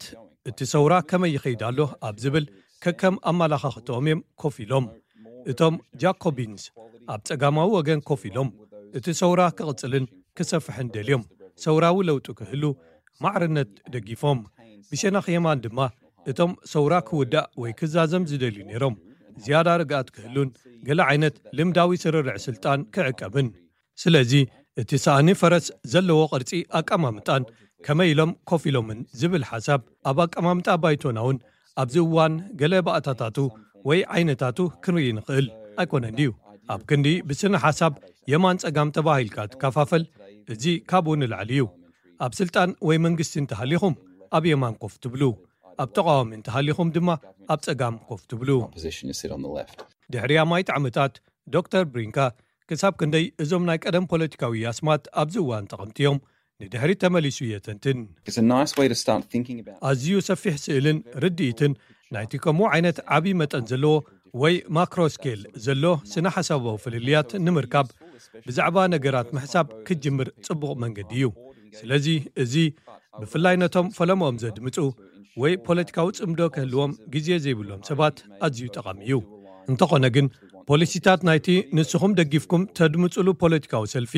እቲ ሰውራ ከመይ ይኸይድ ኣሎ ኣብ ዝብል ከከም ኣመላኻኽትኦም እዮም ኮፍ ኢሎም። እቶም ጃኮቢንስ ኣብ ጸጋማዊ ወገን ኮፍ ኢሎም፣ እቲ ሰውራ ክቕጽልን ክሰፍሕን ደልዮም፣ ሰውራዊ ለውጢ ክህሉ ማዕርነት ደጊፎም። ብሸነኽ የማን ድማ እቶም ሰውራ ክውዳእ ወይ ክዛዘም ዝደልዩ ነይሮም፣ ዝያዳ ርግኣት ክህሉን ገለ ዓይነት ልምዳዊ ስርርዕ ስልጣን ክዕቀብን። ስለዚ እቲ ሳእኒ ፈረስ ዘለዎ ቅርጺ ኣቀማምጣን ከመይ ኢሎም ኮፍ ኢሎምን ዝብል ሓሳብ ኣብ ኣቀማምጣ ባይቶና እውን ኣብዚ እዋን ገለ ባእታታቱ ወይ ዓይነታቱ ክንርኢ ንኽእል ኣይኮነን ድዩ? ኣብ ክንዲ ብስነ ሓሳብ የማን ጸጋም ተባሂልካ ትከፋፈል፣ እዚ ካብኡ ንላዕሊ እዩ። ኣብ ስልጣን ወይ መንግስቲ እንተሃሊኹም ኣብ የማን ኮፍ ትብሉ፣ ኣብ ተቃዋሚ እንተሃሊኹም ድማ ኣብ ጸጋም ኮፍ ትብሉ። Opposition is sit on the left. ድሕሪ ኣማይት ዓመታት ዶክተር ብሪንካ ክሳብ ክንደይ እዞም ናይ ቀደም ፖለቲካዊ ኣስማት ኣብዚ እዋን ጠቐምቲ እዮም ንድሕሪት ተመሊሱ የተንትን። It's a nice way to start thinking about. ኣዝዩ ሰፊሕ ስእልን ርድኢትን ናይቲ ከምኡ ዓይነት ዓቢ መጠን ዘለዎ ወይ ማክሮ ስኬል ዘሎ ስነ ሓሳባዊ ፍልልያት ንምርካብ ብዛዕባ ነገራት ምሕሳብ ክትጅምር ጽቡቕ መንገዲ እዩ። ስለዚ እዚ ብፍላይ ነቶም ፈለምኦም ዘድምጹ ወይ ፖለቲካዊ ጽምዶ ክህልዎም ግዜ ዘይብሎም ሰባት ኣዝዩ ጠቓሚ እዩ። እንተኾነ ግን ፖሊሲታት ናይቲ ንስኹም ደጊፍኩም ተድምጹሉ ፖለቲካዊ ሰልፊ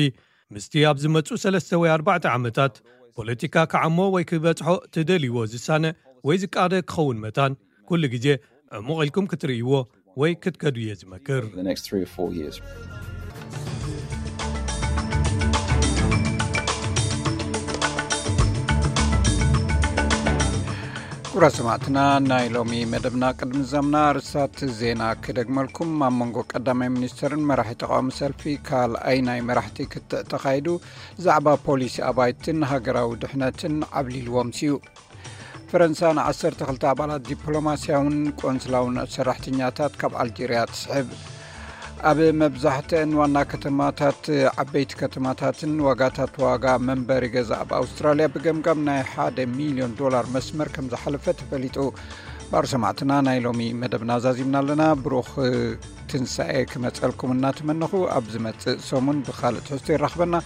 ምስቲ ኣብ ዝመጹ ሰለስተ ወይ ኣርባዕተ ዓመታት ፖለቲካ ክዓሞ ወይ ክበጽሖ ትደልይዎ ዝሳነ ወይ ዝቃደ ክኸውን መታን ኩሉ ግዜ ዕሙቕ ኢልኩም ክትርእይዎ ወይ ክትከዱ እየ ዝመክር። The next three or four years. ክቡራት ሰማዕትና፣ ናይ ሎሚ መደብና ቅድሚ ዛምና ርሳት ዜና ክደግመልኩም። ኣብ መንጎ ቀዳማይ ሚኒስተርን መራሒ ተቃዋሚ ሰልፊ ካልኣይ ናይ መራሕቲ ክትዕ ተኻይዱ ዛዕባ ፖሊሲ ኣባይትን ሃገራዊ ድሕነትን ዓብሊልዎም ሲዩ። ፈረንሳ ንዓሰርተ ክልተ ኣባላት ዲፕሎማስያውን ቆንስላውን ሰራሕተኛታት ካብ ኣልጀርያ ትስሕብ። ኣብ መብዛሕትአን ዋና ከተማታት፣ ዓበይቲ ከተማታትን ዋጋታት ዋጋ መንበሪ ገዛ ኣብ ኣውስትራልያ ብገምጋም ናይ ሓደ ሚልዮን ዶላር መስመር ከም ዝሓለፈ ተፈሊጡ። ባር ሰማዕትና፣ ናይ ሎሚ መደብና ዛዚምና ኣለና። ብሩኽ ትንሳኤ ክመጸልኩም እናተመነኹ፣ ኣብ ዝመጽእ ሰሙን ብኻልእ ትሕዝቶ ይራኽበና።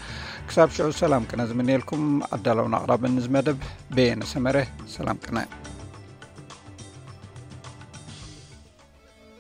ክሳብ ሽዑ ሰላም ቅነ ዝምንየልኩም። ኣዳለውን ኣቕራብን እዚ መደብ በየነ ሰመረ። ሰላም ቅነ።